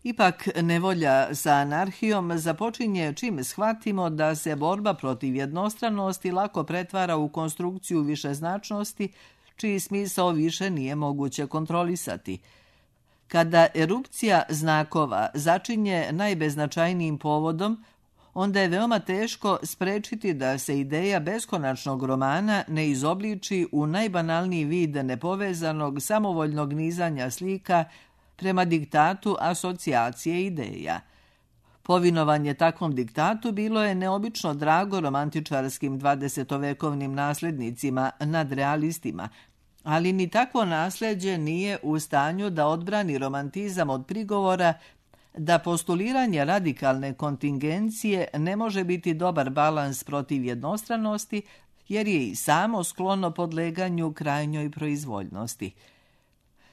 Ipak, nevolja sa anarhijom započinje čim shvatimo da se borba protiv jednostranosti lako pretvara u konstrukciju višeznačnosti, čiji smisao više nije moguće kontrolisati. Kada erupcija znakova začinje najbeznačajnijim povodom, onda je veoma teško sprečiti da se ideja beskonačnog romana ne izobliči u najbanalniji vid nepovezanog samovoljnog nizanja slika prema diktatu asocijacije ideja. Povinovanje takvom diktatu bilo je neobično drago romantičarskim dvadesetovekovnim naslednicima nad realistima, ali ni takvo nasljeđe nije u stanju da odbrani romantizam od prigovora da postuliranje radikalne kontingencije ne može biti dobar balans protiv jednostranosti, jer je i samo sklono podleganju krajnjoj proizvoljnosti.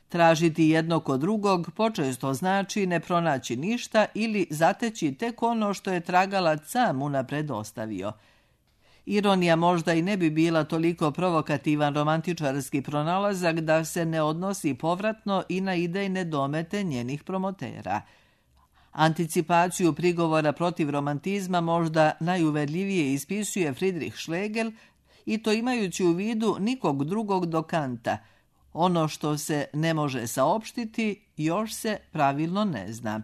Tražiti jedno kod drugog počesto znači ne pronaći ništa ili zateći tek ono što je tragalac sam unapred ostavio. Ironija možda i ne bi bila toliko provokativan romantičarski pronalazak da se ne odnosi povratno i na idejne domete njenih promotera. Anticipaciju prigovora protiv romantizma možda najuverljivije ispisuje Friedrich Schlegel, i to imajući u vidu nikog drugog do Kanta. Ono što se ne može saopštiti, još se pravilno ne zna.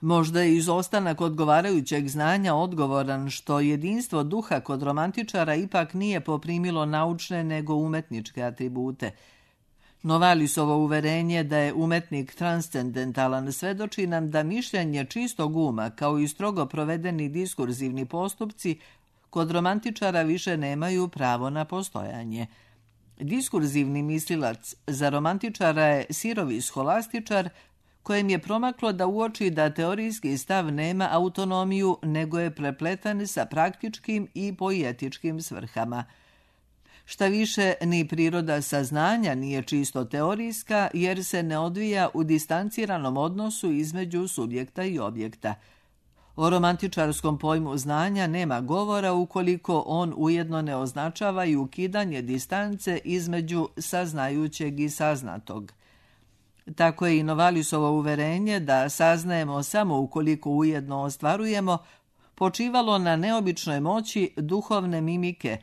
Možda je izostanak odgovarajućeg znanja odgovoran što jedinstvo duha kod romantičara ipak nije poprimilo naučne nego umetničke atribute. Novalisovo uverenje da je umetnik transcendentalan svedoči nam da mišljenje čistog uma, kao i strogo provedeni diskurzivni postupci, kod romantičara više nemaju pravo na postojanje. Diskurzivni mislilac za romantičara je sirovi scholastičar, kojem je promaklo da uoči da teorijski stav nema autonomiju, nego je prepletan sa praktičkim i poetičkim svrhama. Šta više, ni priroda saznanja nije čisto teorijska, jer se ne odvija u distanciranom odnosu između subjekta i objekta. O romantičarskom pojmu znanja nema govora ukoliko on ujedno ne označava i ukidanje distance između saznajućeg i saznatog. Tako je i Novalisovo uverenje da saznajemo samo ukoliko ujedno ostvarujemo počivalo na neobičnoj moći duhovne mimike,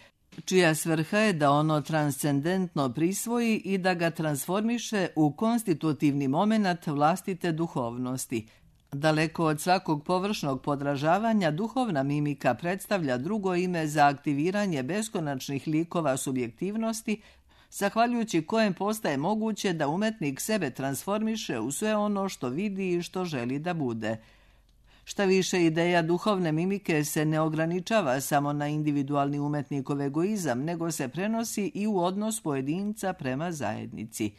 čija svrha je da ono transcendentno prisvoji i da ga transformiše u konstitutivni moment vlastite duhovnosti. Daleko od svakog površnog podražavanja, duhovna mimika predstavlja drugo ime za aktiviranje beskonačnih likova subjektivnosti, zahvaljujući kojem postaje moguće da umetnik sebe transformiše u sve ono što vidi i što želi da bude. Šta više, ideja duhovne mimike se ne ograničava samo na individualni umetnikov egoizam, nego se prenosi i u odnos pojedinca prema zajednici.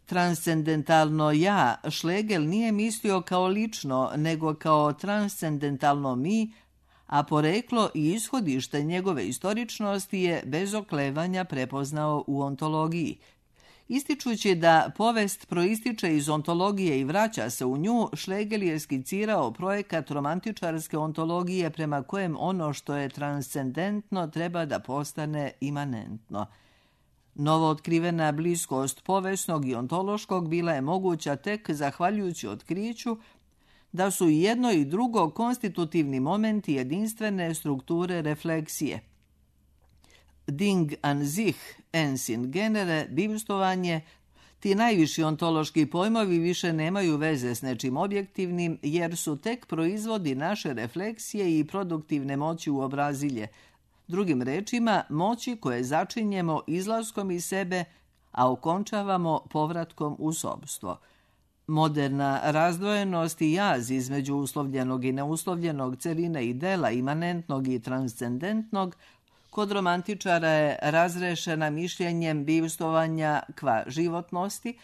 Transcendentalno ja Schlegel nije mislio kao lično, nego kao transcendentalno mi, a poreklo i ishodište njegove istoričnosti je bez oklevanja prepoznao u ontologiji. Ističući da povest proističe iz ontologije i vraća se u nju, Schlegel je skicirao projekat romantičarske ontologije prema kojem ono što je transcendentno treba da postane imanentno. Novo otkrivena bliskost povesnog i ontološkog bila je moguća tek zahvaljujući otkriću da su i jedno i drugo konstitutivni momenti jedinstvene strukture refleksije. Ding an sich, ens in genere, bivstovanje, ti najviši ontološki pojmovi više nemaju veze s nečim objektivnim, jer su tek proizvodi naše refleksije i produktivne moći u obrazilje. Drugim rečima, moći koje začinjemo izlaskom iz sebe, a okončavamo povratkom u sobstvo. Moderna razdvojenost i jaz između uslovljenog i neuslovljenog, celine i dela, imanentnog i transcendentnog, kod romantičara je razrešena mišljenjem bivstovanja kva životnosti,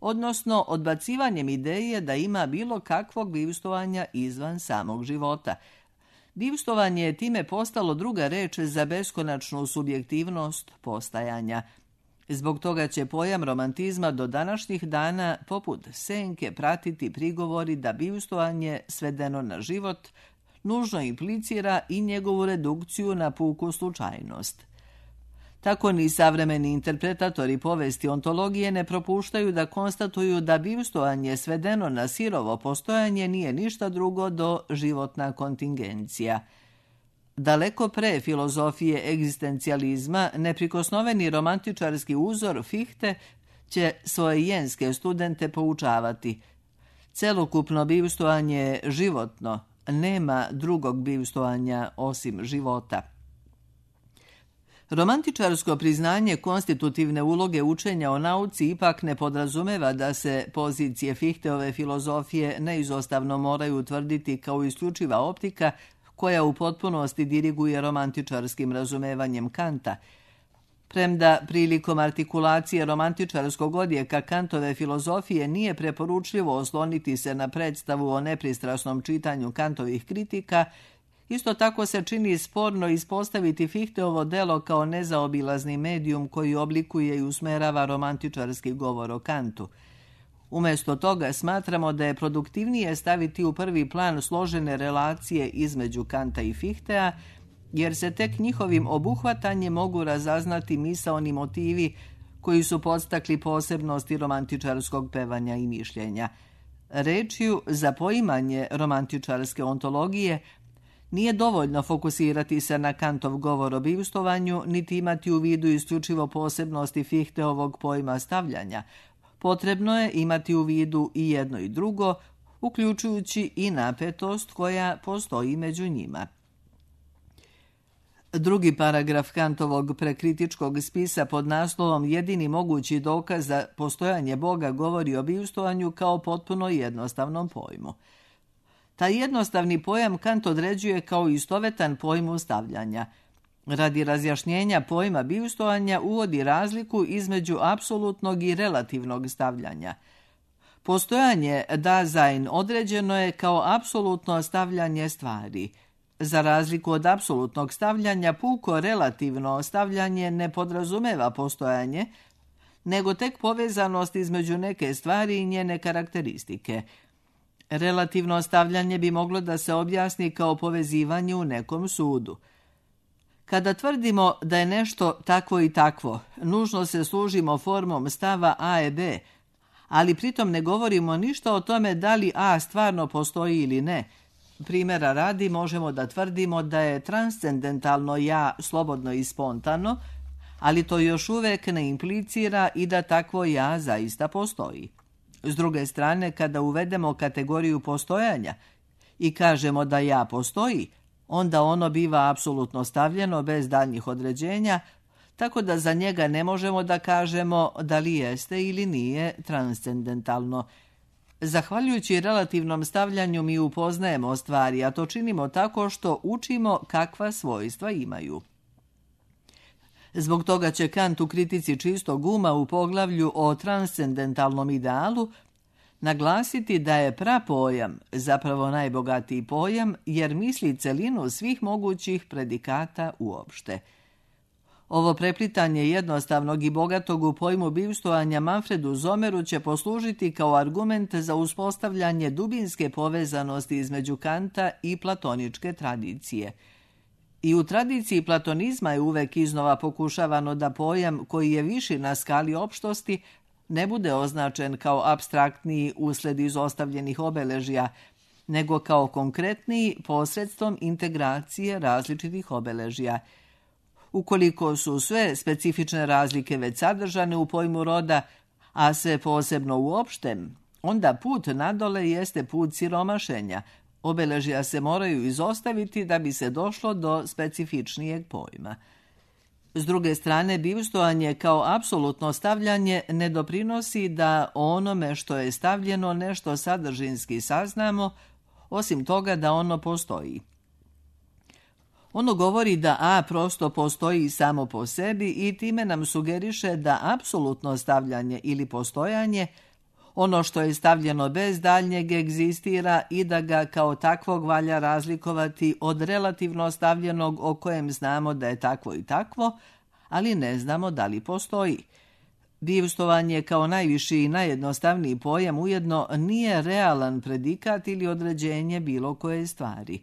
odnosno odbacivanjem ideje da ima bilo kakvog bivstovanja izvan samog života. Bivstovanje je time postalo druga reč za beskonačnu subjektivnost postajanja. Zbog toga će pojam romantizma do današnjih dana poput senke pratiti prigovori da bivstovanje svedeno na život nužno implicira i njegovu redukciju na puku slučajnost. Tako ni savremeni interpretatori povesti ontologije ne propuštaju da konstatuju da bivstovanje svedeno na sirovo postojanje nije ništa drugo do životna kontingencija. Daleko pre filozofije egzistencijalizma, neprikosnoveni romantičarski uzor Fichte će svoje jenske studente poučavati. Celokupno bivstovanje je životno, nema drugog bivstovanja osim života. Romantičarsko priznanje konstitutivne uloge učenja o nauci ipak ne podrazumeva da se pozicije Fichteove filozofije neizostavno moraju utvrditi kao isključiva optika koja u potpunosti diriguje romantičarskim razumevanjem Kanta. Premda prilikom artikulacije romantičarskog odjeka Kantove filozofije nije preporučljivo osloniti se na predstavu o nepristrasnom čitanju Kantovih kritika, isto tako se čini sporno ispostaviti Fichteovo delo kao nezaobilazni medijum koji oblikuje i usmerava romantičarski govor o Kantu. Umjesto toga smatramo da je produktivnije staviti u prvi plan složene relacije između Kanta i Fictea, jer se tek njihovim obuhvatanjem mogu razaznati misaoni motivi koji su podstakli posebnosti romantičarskog pevanja i mišljenja. Rečju za poimanje romantičarske ontologije nije dovoljno fokusirati se na Kantov govor o bivstovanju, niti imati u vidu isključivo posebnosti Fichteovog pojma stavljanja. Potrebno je imati u vidu i jedno i drugo, uključujući i napetost koja postoji među njima. Drugi paragraf Kantovog prekritičkog spisa pod naslovom Jedini mogući dokaz za postojanje Boga govori o bivstovanju kao potpuno jednostavnom pojmu. Taj jednostavni pojam Kant određuje kao istovetan pojmu stavljanja. Radi razjašnjenja pojma bivstovanja uvodi razliku između apsolutnog i relativnog stavljanja. Postojanje Dasein određeno je kao apsolutno stavljanje stvari. Za razliku od apsolutnog stavljanja, puko relativno stavljanje ne podrazumeva postojanje, nego tek povezanost između neke stvari i njene karakteristike. Relativno stavljanje bi moglo da se objasni kao povezivanje u nekom sudu. Kada tvrdimo da je nešto takvo i takvo, nužno se služimo formom stava A i B, ali pritom ne govorimo ništa o tome da li A stvarno postoji ili ne, Primjera radi možemo da tvrdimo da je transcendentalno ja slobodno i spontano, ali to još uvijek ne implicira i da takvo ja zaista postoji. S druge strane, kada uvedemo kategoriju postojanja i kažemo da ja postoji, onda ono biva apsolutno stavljeno bez daljnjih određenja, tako da za njega ne možemo da kažemo da li jeste ili nije transcendentalno. Zahvaljujući relativnom stavljanju mi upoznajemo stvari, a to činimo tako što učimo kakva svojstva imaju. Zbog toga će Kant u kritici čistog uma u poglavlju o transcendentalnom idealu naglasiti da je prapojam zapravo najbogatiji pojam jer misli celinu svih mogućih predikata uopšte. Ovo preplitanje jednostavnog i bogatog u pojmu bivstvovanja Manfredu Zomeru će poslužiti kao argument za uspostavljanje dubinske povezanosti između Kanta i platoničke tradicije. I u tradiciji platonizma je uvek iznova pokušavano da pojam koji je viši na skali opštosti ne bude označen kao apstraktniji usled izostavljenih obeležja, nego kao konkretniji posredstvom integracije različitih obeležja. Ukoliko su sve specifične razlike već sadržane u pojmu roda, a sve posebno u opštem, onda put nadole jeste put siromašenja. Obeležja se moraju izostaviti da bi se došlo do specifičnijeg pojma. S druge strane, bivstvovanje kao apsolutno stavljanje ne doprinosi da o onome što je stavljeno nešto sadržinski saznamo, osim toga da ono postoji. Ono govori da A prosto postoji samo po sebi i time nam sugeriše da apsolutno stavljanje ili postojanje, ono što je stavljeno bez daljnjeg egzistira i da ga kao takvog valja razlikovati od relativno stavljenog o kojem znamo da je takvo i takvo, ali ne znamo da li postoji. Bivstvovanje kao najviši i najjednostavniji pojam ujedno nije realan predikat ili određenje bilo koje stvari.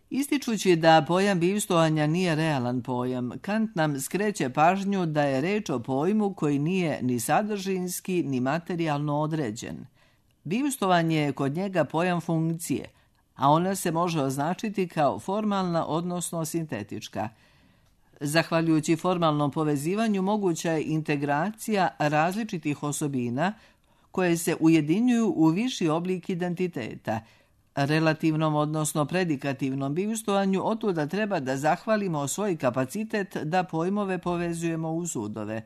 Ističući da pojam bivstvovanja nije realan pojam, Kant nam skreće pažnju da je reč o pojmu koji nije ni sadržinski ni materijalno određen. Bivstvovanje je kod njega pojam funkcije, a ona se može označiti kao formalna odnosno sintetička. Zahvaljujući formalnom povezivanju moguća je integracija različitih osobina koje se ujedinjuju u viši oblik identiteta. Relativnom odnosno predikativnom bivstvovanju otuda treba da zahvalimo svoj kapacitet da pojmove povezujemo u sudove.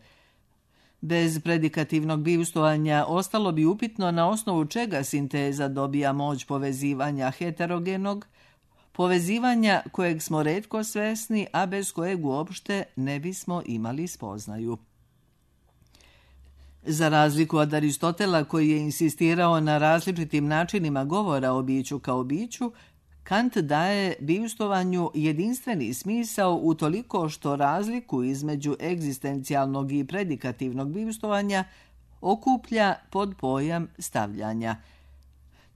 Bez predikativnog bivstvovanja ostalo bi upitno na osnovu čega sinteza dobija moć povezivanja heterogenog, povezivanja kojeg smo retko svesni, a bez kojeg uopšte ne bismo imali spoznaju. Za razliku od Aristotela koji je insistirao na različitim načinima govora o biću kao biću, Kant daje bivstvovanju jedinstveni smisao utoliko što razliku između egzistencijalnog i predikativnog bivstvovanja okuplja pod pojam stavljanja.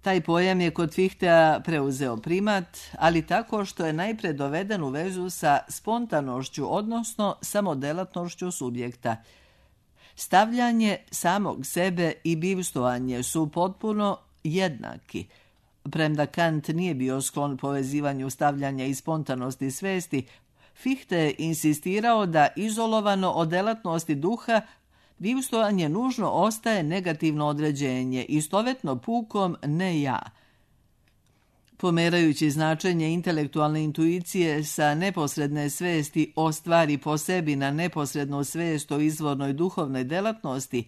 Taj pojam je kod Fichteja preuzeo primat, ali tako što je najpre doveden u vezu sa spontanošću, odnosno samodelatnošću subjekta. Stavljanje samog sebe i bivstvovanje su potpuno jednaki. Premda Kant nije bio sklon povezivanju stavljanja i spontanosti svesti, Fichte je insistirao da izolovano od delatnosti duha bivstvovanje nužno ostaje negativno određenje, istovetno pukom ne ja. Pomerajući značenje intelektualne intuicije sa neposredne svesti o stvari po sebi na neposrednu svest o izvornoj duhovnoj delatnosti,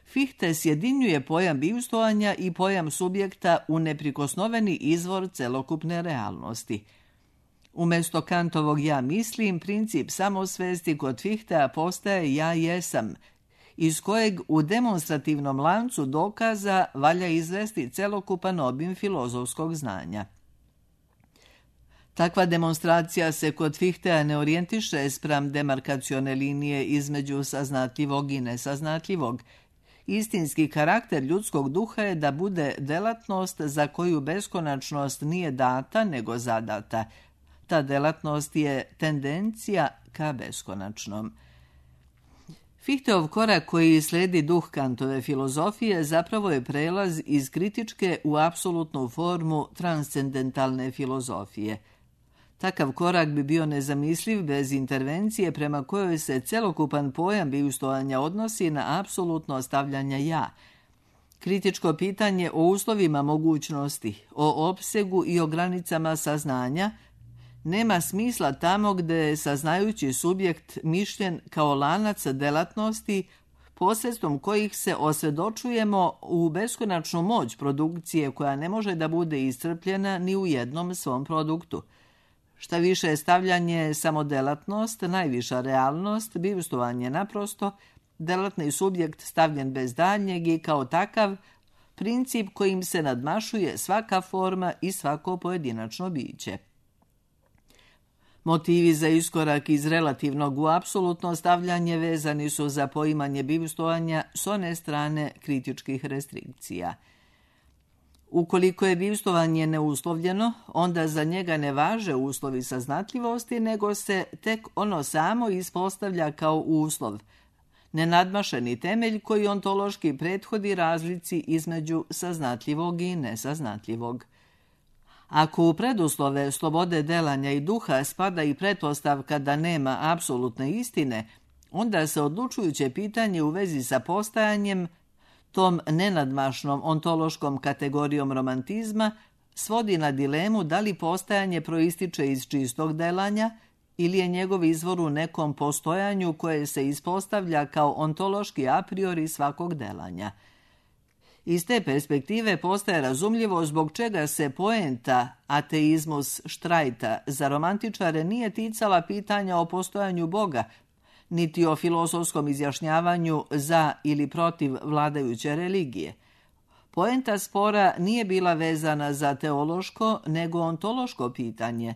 Fichte sjedinjuje pojam bivstvovanja i pojam subjekta u neprikosnoveni izvor celokupne realnosti. Umjesto Kantovog ja mislim, princip samosvesti kod Fichtea postaje ja jesam, iz kojeg u demonstrativnom lancu dokaza valja izvesti celokupan obim filozofskog znanja. Takva demonstracija se kod Fichteja ne orijentiše spram demarkacione linije između saznatljivog i nesaznatljivog. Istinski karakter ljudskog duha je da bude delatnost za koju beskonačnost nije data nego zadata. Ta delatnost je tendencija ka beskonačnom. Fichteov korak koji slijedi duh Kantove filozofije zapravo je prelaz iz kritičke u apsolutnu formu transcendentalne filozofije. Takav korak bi bio nezamisliv bez intervencije prema kojoj se celokupan pojam bivstvovanja odnosi na apsolutno stavljanje ja. Kritičko pitanje o uslovima mogućnosti, o opsegu i o granicama saznanja nema smisla tamo gde je saznajući subjekt mišljen kao lanac delatnosti posredstvom kojih se osvjedočujemo u beskonačnu moć produkcije koja ne može da bude iscrpljena ni u jednom svom produktu. Šta više je stavljanje samo delatnost, najviša realnost, bivstvovanje naprosto, delatni subjekt stavljen bez daljnjeg i kao takav princip kojim se nadmašuje svaka forma i svako pojedinačno biće. Motivi za iskorak iz relativnog u apsolutno stavljanje vezani su za poimanje bivstvovanja s one strane kritičkih restrikcija. Ukoliko je bivstvovanje neuslovljeno, onda za njega ne važe uslovi saznatljivosti, nego se tek ono samo ispostavlja kao uslov, nenadmašeni temelj koji ontološki prethodi razlici između saznatljivog i nesaznatljivog. Ako u preduslove slobode delanja i duha spada i pretpostavka da nema apsolutne istine, onda se odlučujuće pitanje u vezi sa postajanjem, tom nenadmašnom ontološkom kategorijom romantizma, svodi na dilemu da li postajanje proističe iz čistog delanja ili je njegov izvor u nekom postojanju koje se ispostavlja kao ontološki a priori svakog delanja. Iz te perspektive postaje razumljivo zbog čega se poenta ateizmus Štrajta za romantičare nije ticala pitanja o postojanju Boga, niti o filozofskom izjašnjavanju za ili protiv vladajuće religije. Poenta spora nije bila vezana za teološko, nego ontološko pitanje,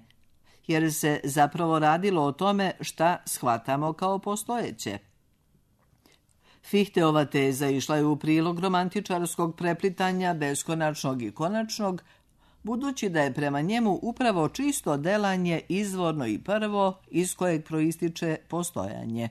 jer se zapravo radilo o tome šta shvatamo kao postojeće. Fichteova teza išla je u prilog romantičarskog preplitanja beskonačnog i konačnog, budući da je prema njemu upravo čisto delanje izvorno i prvo iz kojeg proističe postojanje.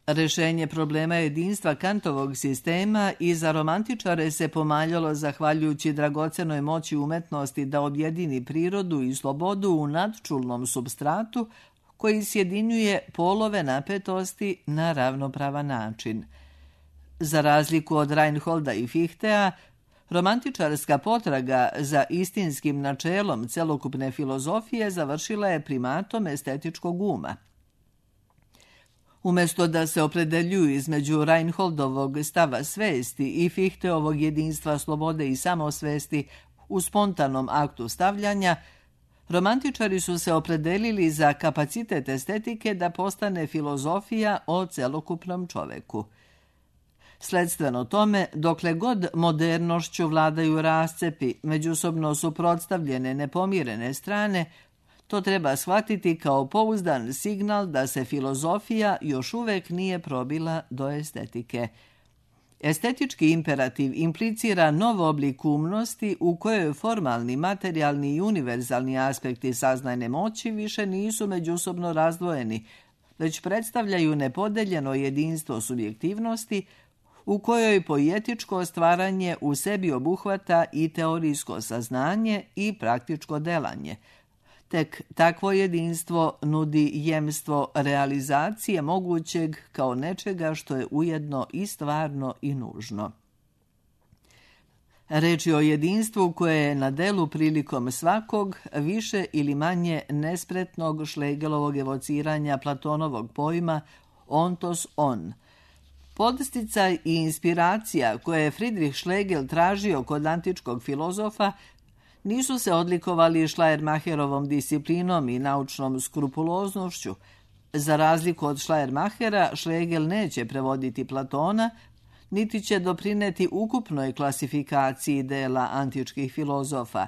Rešenje problema jedinstva Kantovog sistema i za romantičare se pomaljalo zahvaljujući dragocenoj moći umetnosti da objedini prirodu i slobodu u nadčulnom supstratu koji sjedinjuje polove napetosti na ravnopravan način. Za razliku od Reinholda i Fichteja, romantičarska potraga za istinskim načelom celokupne filozofije završila je primatom estetičkog uma. Umjesto da se opredeljuju između Reinholdovog stava svesti i Fichteovog jedinstva slobode i samosvesti u spontanom aktu stavljanja, romantičari su se opredelili za kapacitet estetike da postane filozofija o celokupnom čoveku. Sledstveno tome, dokle god modernošću vladaju rascepi, međusobno suprotstavljene nepomirene strane, to treba shvatiti kao pouzdan signal da se filozofija još uvek nije probila do estetike. Estetički imperativ implicira nov oblik umnosti u kojoj formalni, materijalni i univerzalni aspekti saznajne moći više nisu međusobno razdvojeni, već predstavljaju nepodeljeno jedinstvo subjektivnosti u kojoj poetičko stvaranje u sebi obuhvata i teorijsko saznanje i praktičko delanje. Tek takvo jedinstvo nudi jemstvo realizacije mogućeg kao nečega što je ujedno i stvarno i nužno. Reč je o jedinstvu koje je na delu prilikom svakog više ili manje nespretnog Schlegelovog evociranja Platonovog pojma ontos on. Podsticaj i inspiracija koje je Friedrich Schlegel tražio kod antičkog filozofa nisu se odlikovali Schleiermacherovom disciplinom i naučnom skrupuloznošću. Za razliku od Schleiermachera, Schlegel neće prevoditi Platona, niti će doprineti ukupnoj klasifikaciji dela antičkih filozofa.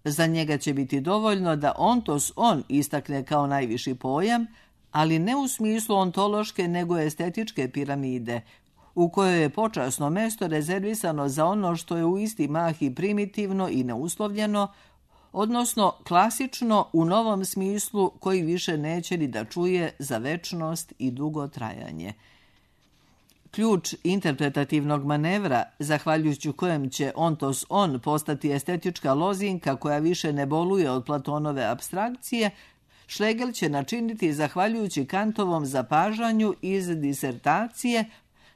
Za njega će biti dovoljno da ontos on istakne kao najviši pojam, ali ne u smislu ontološke nego estetičke piramide, u kojoj je počasno mesto rezervisano za ono što je u isti mah i primitivno i neuslovljeno, odnosno klasično u novom smislu koji više neće ni da čuje za večnost i dugotrajanje. Ključ interpretativnog manevra, zahvaljujući kojem će ontos on postati estetička lozinka koja više ne boluje od Platonove apstrakcije, Schlegel će načiniti zahvaljujući Kantovom zapažanju iz disertacije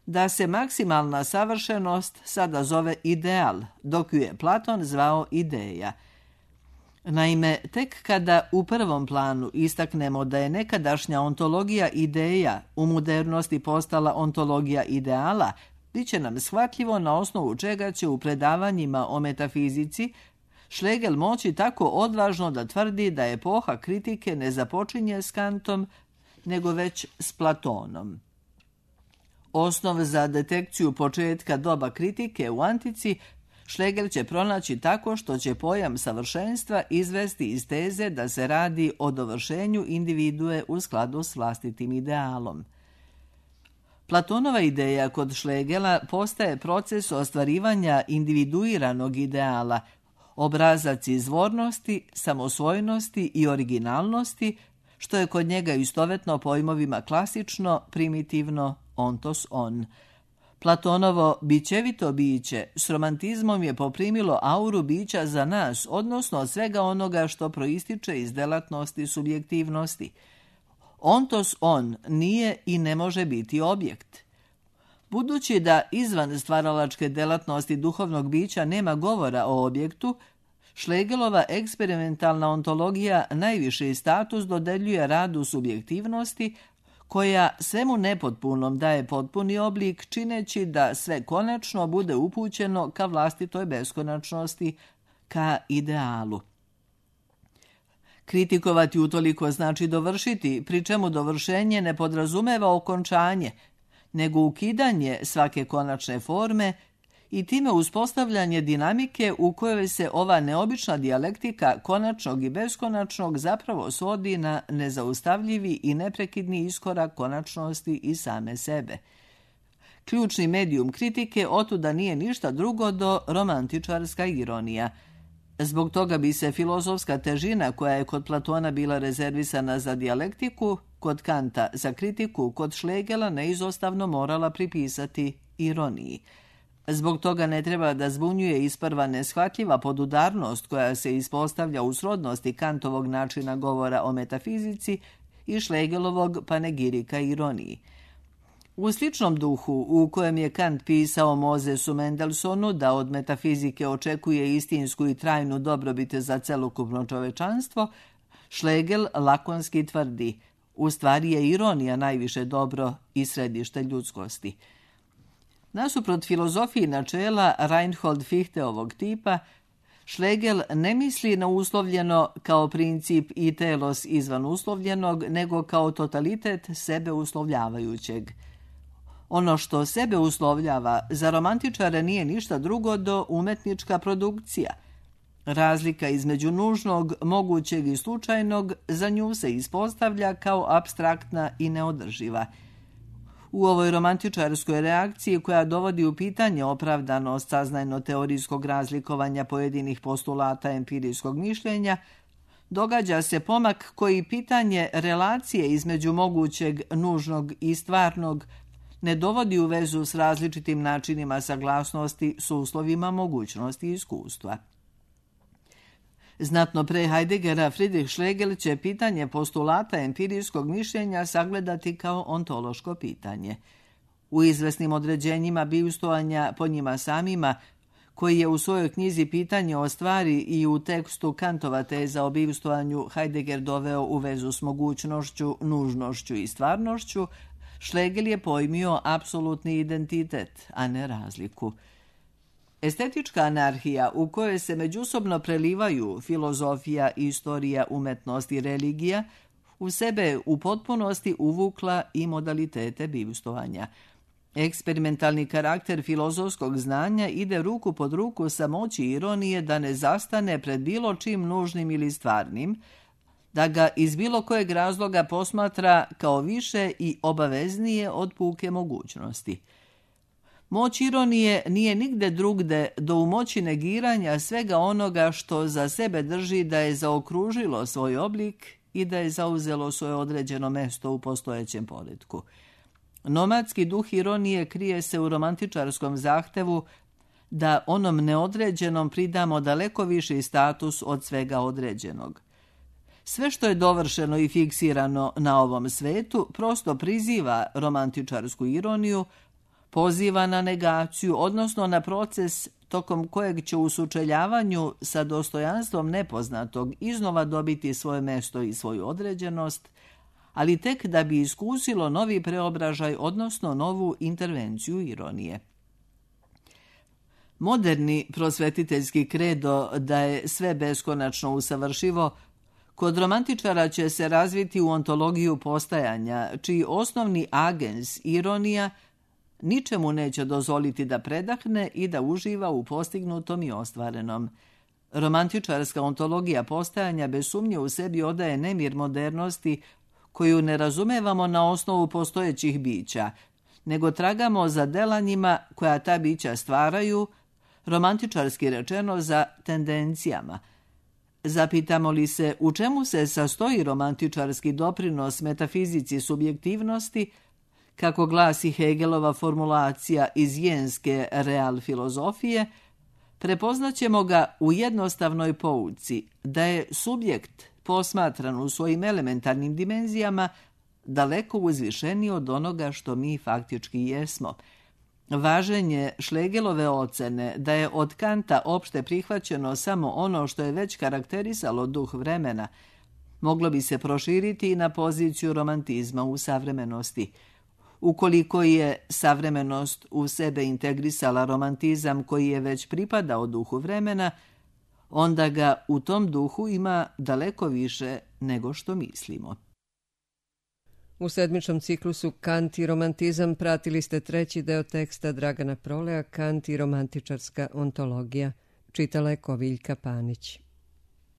da se maksimalna savršenost sada zove ideal, dok ju je Platon zvao ideja. Naime, tek kada u prvom planu istaknemo da je nekadašnja ontologija ideja u modernosti postala ontologija ideala, bit će nam shvatljivo na osnovu čega će u predavanjima o metafizici Schlegel moći tako odvažno da tvrdi da epoha kritike ne započinje s Kantom, nego već s Platonom. Osnov za detekciju početka doba kritike u antici Schlegel će pronaći tako što će pojam savršenstva izvesti iz teze da se radi o dovršenju individue u skladu s vlastitim idealom. Platonova ideja kod Schlegela postaje proces ostvarivanja individuiranog ideala, obrazac izvornosti, samosvojnosti i originalnosti, što je kod njega istovetno pojmovima klasično, primitivno, ontos on. Platonovo bićevito biće s romantizmom je poprimilo auru bića za nas, odnosno od svega onoga što proističe iz delatnosti subjektivnosti. Ontos on nije i ne može biti objekt. Budući da izvan stvaralačke delatnosti duhovnog bića nema govora o objektu, Schlegelova eksperimentalna ontologija najviši status dodeljuje radu subjektivnosti, koja svemu nepotpunom daje potpuni oblik, čineći da sve konačno bude upućeno ka vlastitoj beskonačnosti, ka idealu. Kritikovati utoliko znači dovršiti, pri čemu dovršenje ne podrazumeva okončanje, nego ukidanje svake konačne forme i time uspostavljanje dinamike u kojoj se ova neobična dijalektika konačnog i beskonačnog zapravo svodi na nezaustavljivi i neprekidni iskorak konačnosti i same sebe. Ključni medijum kritike otuda nije ništa drugo do romantičarska ironija. Zbog toga bi se filozofska težina koja je kod Platona bila rezervisana za dijalektiku, kod Kanta za kritiku, kod Schlegela neizostavno morala pripisati ironiji. Zbog toga ne treba da zbunjuje isprva neshvatljiva podudarnost koja se ispostavlja u srodnosti Kantovog načina govora o metafizici i Schlegelovog panegirika ironiji. U sličnom duhu u kojem je Kant pisao Mosesu Mendelssohnu da od metafizike očekuje istinsku i trajnu dobrobit za celokupno čovečanstvo, Schlegel lakonski tvrdi: u stvari je ironija najviše dobro i središte ljudskosti. Nasuprot filozofiji načela Reinhold Fichteovog tipa, Schlegel ne misli na uslovljeno kao princip i telos izvan uslovljenog, nego kao totalitet sebe uslovljavajućeg. Ono što sebe uslovljava za romantičare nije ništa drugo do umetnička produkcija. Razlika između nužnog, mogućeg i slučajnog za nju se ispostavlja kao apstraktna i neodrživa. U ovoj romantičarskoj reakciji koja dovodi u pitanje opravdanost saznajno-teorijskog razlikovanja pojedinih postulata empirijskog mišljenja, događa se pomak koji pitanje relacije između mogućeg, nužnog i stvarnog ne dovodi u vezu s različitim načinima saglasnosti s uslovima mogućnosti i iskustva. Znatno pre Heideggera, Friedrich Schlegel će pitanje postulata empirijskog mišljenja sagledati kao ontološko pitanje. U izvesnim određenjima bivstvovanja po njima samima, koji je u svojoj knjizi Pitanje o stvari i u tekstu Kantova teza o bivstvovanju Heidegger doveo u vezu s mogućnošću, nužnošću i stvarnošću, Schlegel je pojmio apsolutni identitet, a ne razliku. Estetička anarhija u kojoj se međusobno prelivaju filozofija, istorija, umetnost i religija u sebe u potpunosti uvukla i modalitete bivstvovanja. Eksperimentalni karakter filozofskog znanja ide ruku pod ruku sa moći ironije da ne zastane pred bilo čim nužnim ili stvarnim, da ga iz bilo kojeg razloga posmatra kao više i obaveznije od puke mogućnosti. Moć ironije nije nigde drugde do u moći negiranja svega onoga što za sebe drži da je zaokružilo svoj oblik i da je zauzelo svoje određeno mesto u postojećem poretku. Nomadski duh ironije krije se u romantičarskom zahtevu da onom neodređenom pridamo daleko viši status od svega određenog. Sve što je dovršeno i fiksirano na ovom svetu prosto priziva romantičarsku ironiju, poziva na negaciju, odnosno na proces tokom kojeg će u sučeljavanju sa dostojanstvom nepoznatog iznova dobiti svoje mesto i svoju određenost, ali tek da bi iskusilo novi preobražaj, odnosno novu intervenciju ironije. Moderni prosvetiteljski kredo da je sve beskonačno usavršivo, kod romantičara će se razviti u ontologiju postajanja, čiji osnovni agens, ironija, ničemu neće dozvoliti da predahne i da uživa u postignutom i ostvarenom. Romantičarska ontologija postajanja bez sumnje u sebi odaje nemir modernosti koju ne razumevamo na osnovu postojećih bića, nego tragamo za delanjima koja ta bića stvaraju, romantičarski rečeno za tendencijama. Zapitamo li se u čemu se sastoji romantičarski doprinos metafizici subjektivnosti, kako glasi Hegelova formulacija iz jenske real filozofije, prepoznaćemo ga u jednostavnoj pouci da je subjekt posmatran u svojim elementarnim dimenzijama daleko uzvišeniji od onoga što mi faktički jesmo. Važenje Schlegelove ocene da je od Kanta opšte prihvaćeno samo ono što je već karakterisalo duh vremena, moglo bi se proširiti i na poziciju romantizma u savremenosti. Ukoliko je savremenost u sebe integrisala romantizam koji je već pripadao duhu vremena, onda ga u tom duhu ima daleko više nego što mislimo. U sedmičnom ciklusu Kant i romantizam pratili ste treći deo teksta Dragana Proleja, Kant i romantičarska ontologija. Čitala je Koviljka Panić.